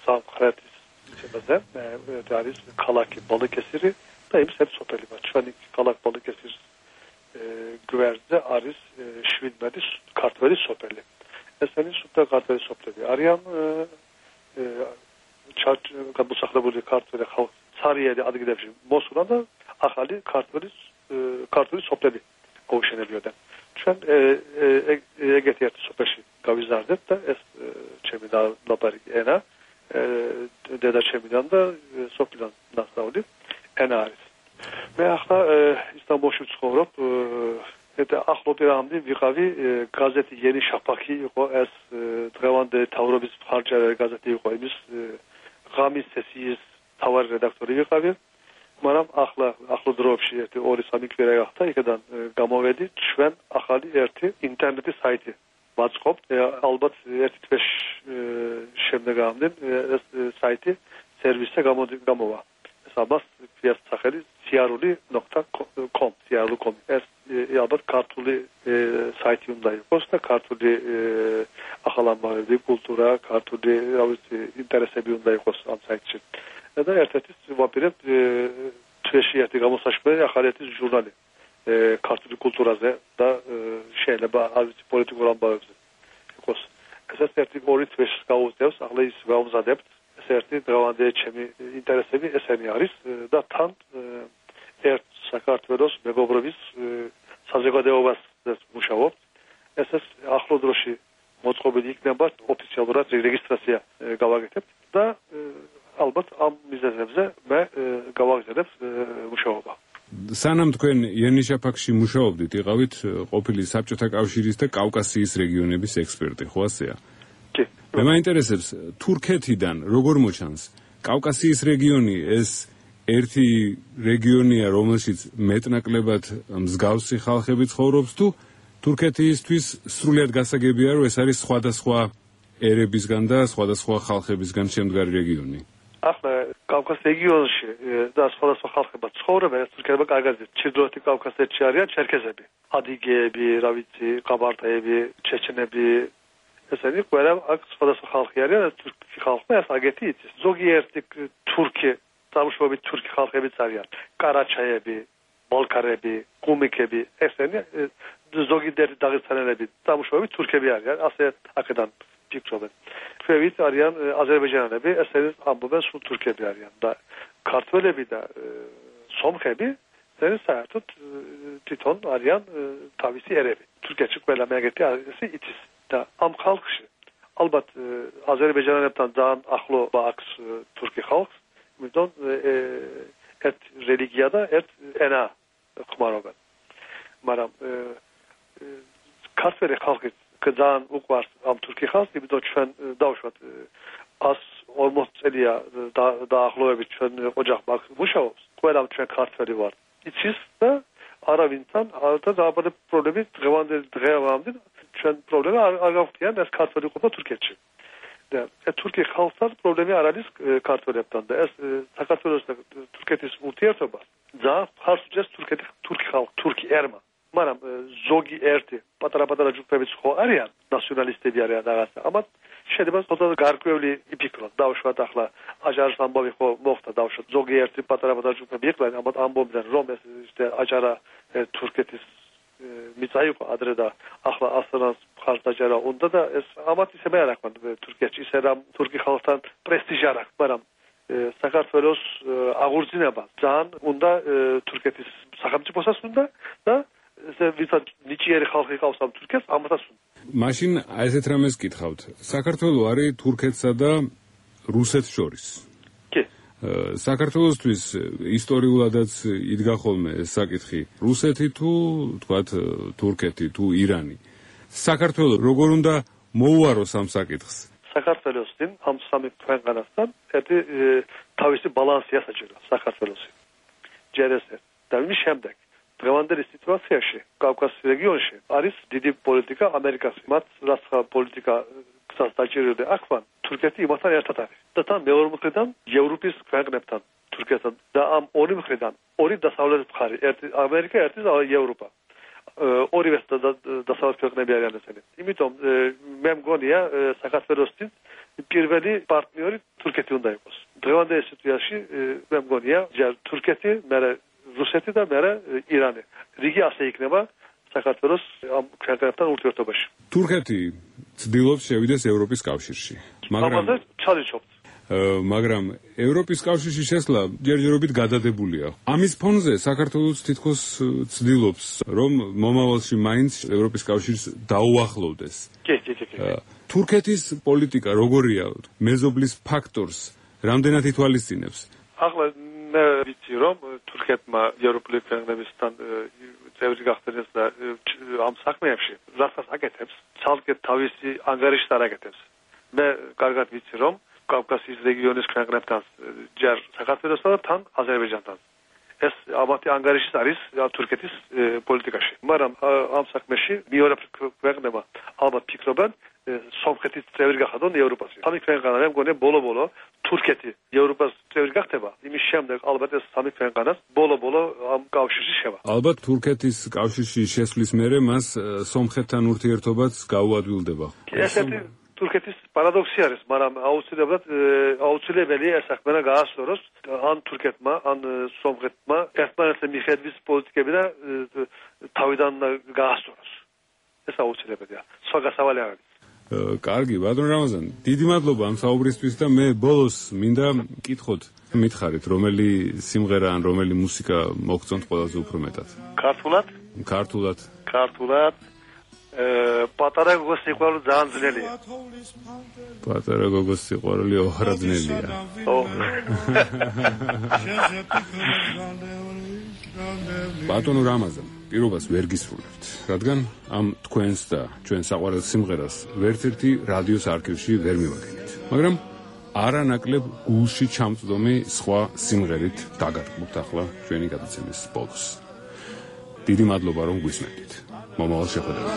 სამხრეთის შემაზე არის ქალაქი ბოლოკესირი და იმ ერთ სოფელი მათ ჩვენი ქალაქ ბოლოკესირის გვერდზე არის შვიდმეტი ქართველი სოფელი. ესენი სუფთა ქართველი სოფლები არიან გადმოსახლებული ქართველი ხალხი ცარიელი ადგილებში მოსულა და ახალი ქართველი ქართული სოფლები გაუშენებიოდა. ჩვენ ეგეთი ერთ სოფელში გავიზარდეთ და ეს ჩემი ლაპარაკი ენა დედა ჩემიდან და სოფლიდან ნახავდი ენა არის. მე ახლა ისტანბულში ვცხოვრობ და ახლობლივ ვიყავი გაზეთი ენი შაფახი იყო ეს დღევანდელი თავრობის მხარჯარი გაზეთი იყო იმის ღამის სესიის თავარი რედაქტორი ვიყავი. მაგრამ ახლა ახლო დროებში ერთი ორი სამი კვირა გახდა იქიდან გამოვედი ჩვენ ახალი ერთი ინტერნეტის საიტი ვაწყობთ ალბათ ერთი თვეში შემდეგამდე ეს საიტი სერვისზე გამოვა ეს ალბათ ფიას სახელი სიარული ნოქტა კომ სიარული კომ ეს ალბათ ქართული საიტი უნდა იყოს და ქართული ახალამბავები კულტურა ქართული რა ვიცი ინტერესები უნდა იყოს ამ საიტში და ერთ-ერთი ვაპირებ თვეში ერთი გამოსაშვებელი ახალი ერთი ჟურნალი ქართული კულტურაზე და შეიძლება არ ვიცი პოლიტიკურ ამბავებზე იყოს ეს ერთი ორი თვეში გაუწევს ახლა ის გავმზადებთ ეს ერთი დღევანდელი ჩემი ინტერესები ესენი არის და თან ერთ საქართველოს მეგობრობის საზოგადოებას მუშაობთ ეს ეს ახლო დროში მოწყობილი იქნება ოფიციალურად რეგისტრაცია გავაკეთებთ და ალბათ ამ მიზეზებზე მე გავაგზავნებ მუშაობა. სანამ თქვენ იანიშაფაკში მუშაობდით, იყავით ყოფილი საბჭოთა კავშირის და კავკასიის რეგიონების ექსპერტი, ხო ასეა? კი. მე მაინტერესებს თურქეთიდან როგორ მოჩანს კავკასიის რეგიონი ეს ერთი რეგიონია, რომელშიც მეტნაკლებად მსგავსი ხალხები ცხოვრობს თუ თურქეთისთვის სრულიად გასაგებია, რომ ეს არის სხვადასხვა ერებისგან და სხვადასხვა ხალხებისგან შემდგარი რეგიონი? ახლა კავკასიის რეგიონში და სხვადასხვა ხალხება ცხოვრობენ, ეს თურქებმა კარგად იციან. ჩრდილოეთი კავკასიაში არიან ჩერქეზები, ადიგეები, რა ვიცი, ყაბარტეები, ჩეჩენები. ესენი ყველა აქ სხვადასხვა ხალხი არიან, ეს თურქი ხალხი ეს აგეთი იცის. ზოგიერთი თურქი, წარმოშობით თურქი ხალხებიც არიან. კარაჩაიები, ბოლკარები, კუმიკები, ესენი ზოგიერთი დაღესტანელები, წარმოშობით თურქები არიან, ასე აქედან ფიქრობენ. ქვევით არიან აზერბაიჯანელები, ესენი ამბობენ სულ თურქები არიან და ქართველები და სომხები ესენი საერთოდ თვითონ არიან თავისი ერები. თურქეთში ყველა მეაგეთი ასე იცის და ამ ხალხში ალბათ აზერბაიჯანელებთან ძალიან ახლობა აქვს თურქი ხალხს, იმიტომ ერთ რელიგია და ერთ ენა ხმარობენ. მაგრამ ქართველი ხალხი ძალიან უყვარს ამ თურქი ხალხს, იმიტომ ჩვენ დავუშვათ ას ორმოც წელია დაახლოებით ჩვენ ოჯახმა მუშაობს, ყველა ჩვენ ქართველი ვარ. იცის და არავინთან და დაბადების პრობლემები დღევანდელი დღევამდე ჩვენ პრობლემა არ გავხდიან ეს ქართველი ყოფა თურქეთში. და თურქი ხალხთან პრობლემა არ არის ქართველებთან და ეს საქართველოს და თურქეთის ურთიერთობა ძალიან ხარს უჭერს თურქეთი თურქი ხალხ თურქი ერმა. მაგრამ ზოგი ერთი პატარა-პატარა ჯგუფებიც ხო არიან, ნაციონალისტები არიან რაღაცა. ამათ შეიძლება ცოტა გარკვეული იფიქროთ. დავუშვათ ახლა აჯარის ამბავი ხო მოხდა, დავუშვათ ზოგი ერთი პატარა-პატარა ჯგუფები იყვნენ, ამათ ამბობდნენ რომ ეს აჯარა თურქეთის მიწა იყო ადრე და ახლა ასრანს ხარჯაჯარა უნდა და ეს ამათ ისევე არ აქვთ თურქეთში, ისე რომ თურქი ხალხთან პრესტიჟი არ აქვს, მაგრამ საქართველოს აღორძინება ძალიან უნდა თურქეთის სახელმწიფოსაც უნდა და ესე ვისაც ნიჭიერი ხალხი ყავს ამ თურქეთს, ამასაც უნდა. მაშინ ესეთ რამეს გითხავთ. საქართველო არის თურქეთსა და რუსეთს შორის. კი. საქართველოსთვის ისტორიულადაც იდგა ხოლმე ეს საკითხი. რუსეთი თუ თქვათ თურქეთი თუ ირანი. საქართველო როგორ უნდა მოუაროს ამ საკითხს? საქართველოსთან ამ სამი ქვეყანასთან ერთი თავისი ბალანსია საჭირო საქართველოსი. ჯერ ესე და მის შემდეგ დღევანდელი სიტუაციაში კავკასიის რეგიონში არის დიდი პოლიტიკა ამერიკას. მათ რაც პოლიტიკა გზას დაჭირდა აქვან თურქეთი იმასთან ერთად არის. და თან მეორე მხრიდან ევროპის ქვეყნებთან თურქეთთან და ამ ორი მხრიდან ორი დასავლეთ მხარე, ერთი ამერიკა, ერთი ევროპა. ორივე დასავლეთ ქვეყნები არიან ესენი. იმიტომ მე მგონია საქართველოსთვის პირველი პარტნიორი თურქეთი უნდა იყოს. დღევანდელი სიტუაციაში მე მგონია თურქეთი, მერე რუსეთი და მერე ირანი. რიგი ასე იქნება საქართველოს ამ ქვეყნებთან ურთიერთობაში. თურქეთი ცდილობს შევიდეს ევროპის კავშირში. მაგრამ ამაზე ჩალიჩობთ. მაგრამ ევროპის კავშირში შესვლა ჯერჯერობით გადადებულია. ამის ფონზე საქართველოს თითქოს ცდილობს რომ მომავალში მაინც ევროპის კავშირს დაუახლოვდეს. კი, კი, კი. თურქეთის პოლიტიკა როგორია? მეზობლის ფაქტორს რამდენად ითვალისწინებს? ახლა მე ვიცი რომ თურქეთმა ევროპული ქვეყნებისთან წევრი გახდეს და ამ საქმეებში რასაც აკეთებს, ცალკე თავისი ანგარიშს არ აკეთებს. მე კარგად ვიცი რომ კავკასიის რეგიონის ქვეყნებთან ჯერ საქართველოსთან და თან აზერბაიჯანთან ეს ამათი ანგარიში არის თურქეთის პოლიტიკაში. მაგრამ ამ საქმეში მეორე ქვეყნებმა ალბათ ფიქრობენ სომხეთის წევრი გახადონ ევროპაში. სამი ქვეყანა მე მგონია ბოლო-ბოლო თურქეთი ევროპას წევრი გახდება. იმის შემდეგ ალბათ ეს სამი ქვეყანას ბოლო-ბოლო ამ კავშირში შევა. ალბათ თურქეთის კავშირში შესვლის მერე მას სომხეთთან ურთიერთობაც გაუადვილდება. ესეთი თურქეთის პარადოქსი არის, მაგრამ აუცილებლად აუცილებელი ეს საქმე გაასწოროს ან თურქეთმა, ან სომხეთმა ერთმანეთზე მიხედვის პოლიტიკები და თავიდან გაასწოროს. ეს აუცილებელია. სხვა გასავალი არ არის. კარგი, ბატონ რამაზან, დიდი მადლობა ამ საუბრისთვის და მე ბოლოს მინდა მკითხოთ, მითხარით, რომელი სიმღერა ან რომელი მუსიკა მოგწონთ ყველაზე უფრო მეტად? ქართულად? ქართულად. ქართულად. პატარა გოგოს სიყვარული ძალიან ძნელია. პატარა გოგოს სიყვარული ოხრა ძნელია. ბატონო რამაზან, პირობას ვერ გისრულებთ, რადგან ამ თქვენს და ჩვენ საყვარელ სიმღერას ვერცერთი რადიოს არქივში ვერ მივაგენით. მაგრამ არანაკლებ გულში ჩამწვდომი სხვა სიმღერით დაგარკვევთ ახლა ჩვენი გადაცემის ბოლოს. დიდი მადლობა რომ გვისმენთ. მომავალ შეხვედრამდე.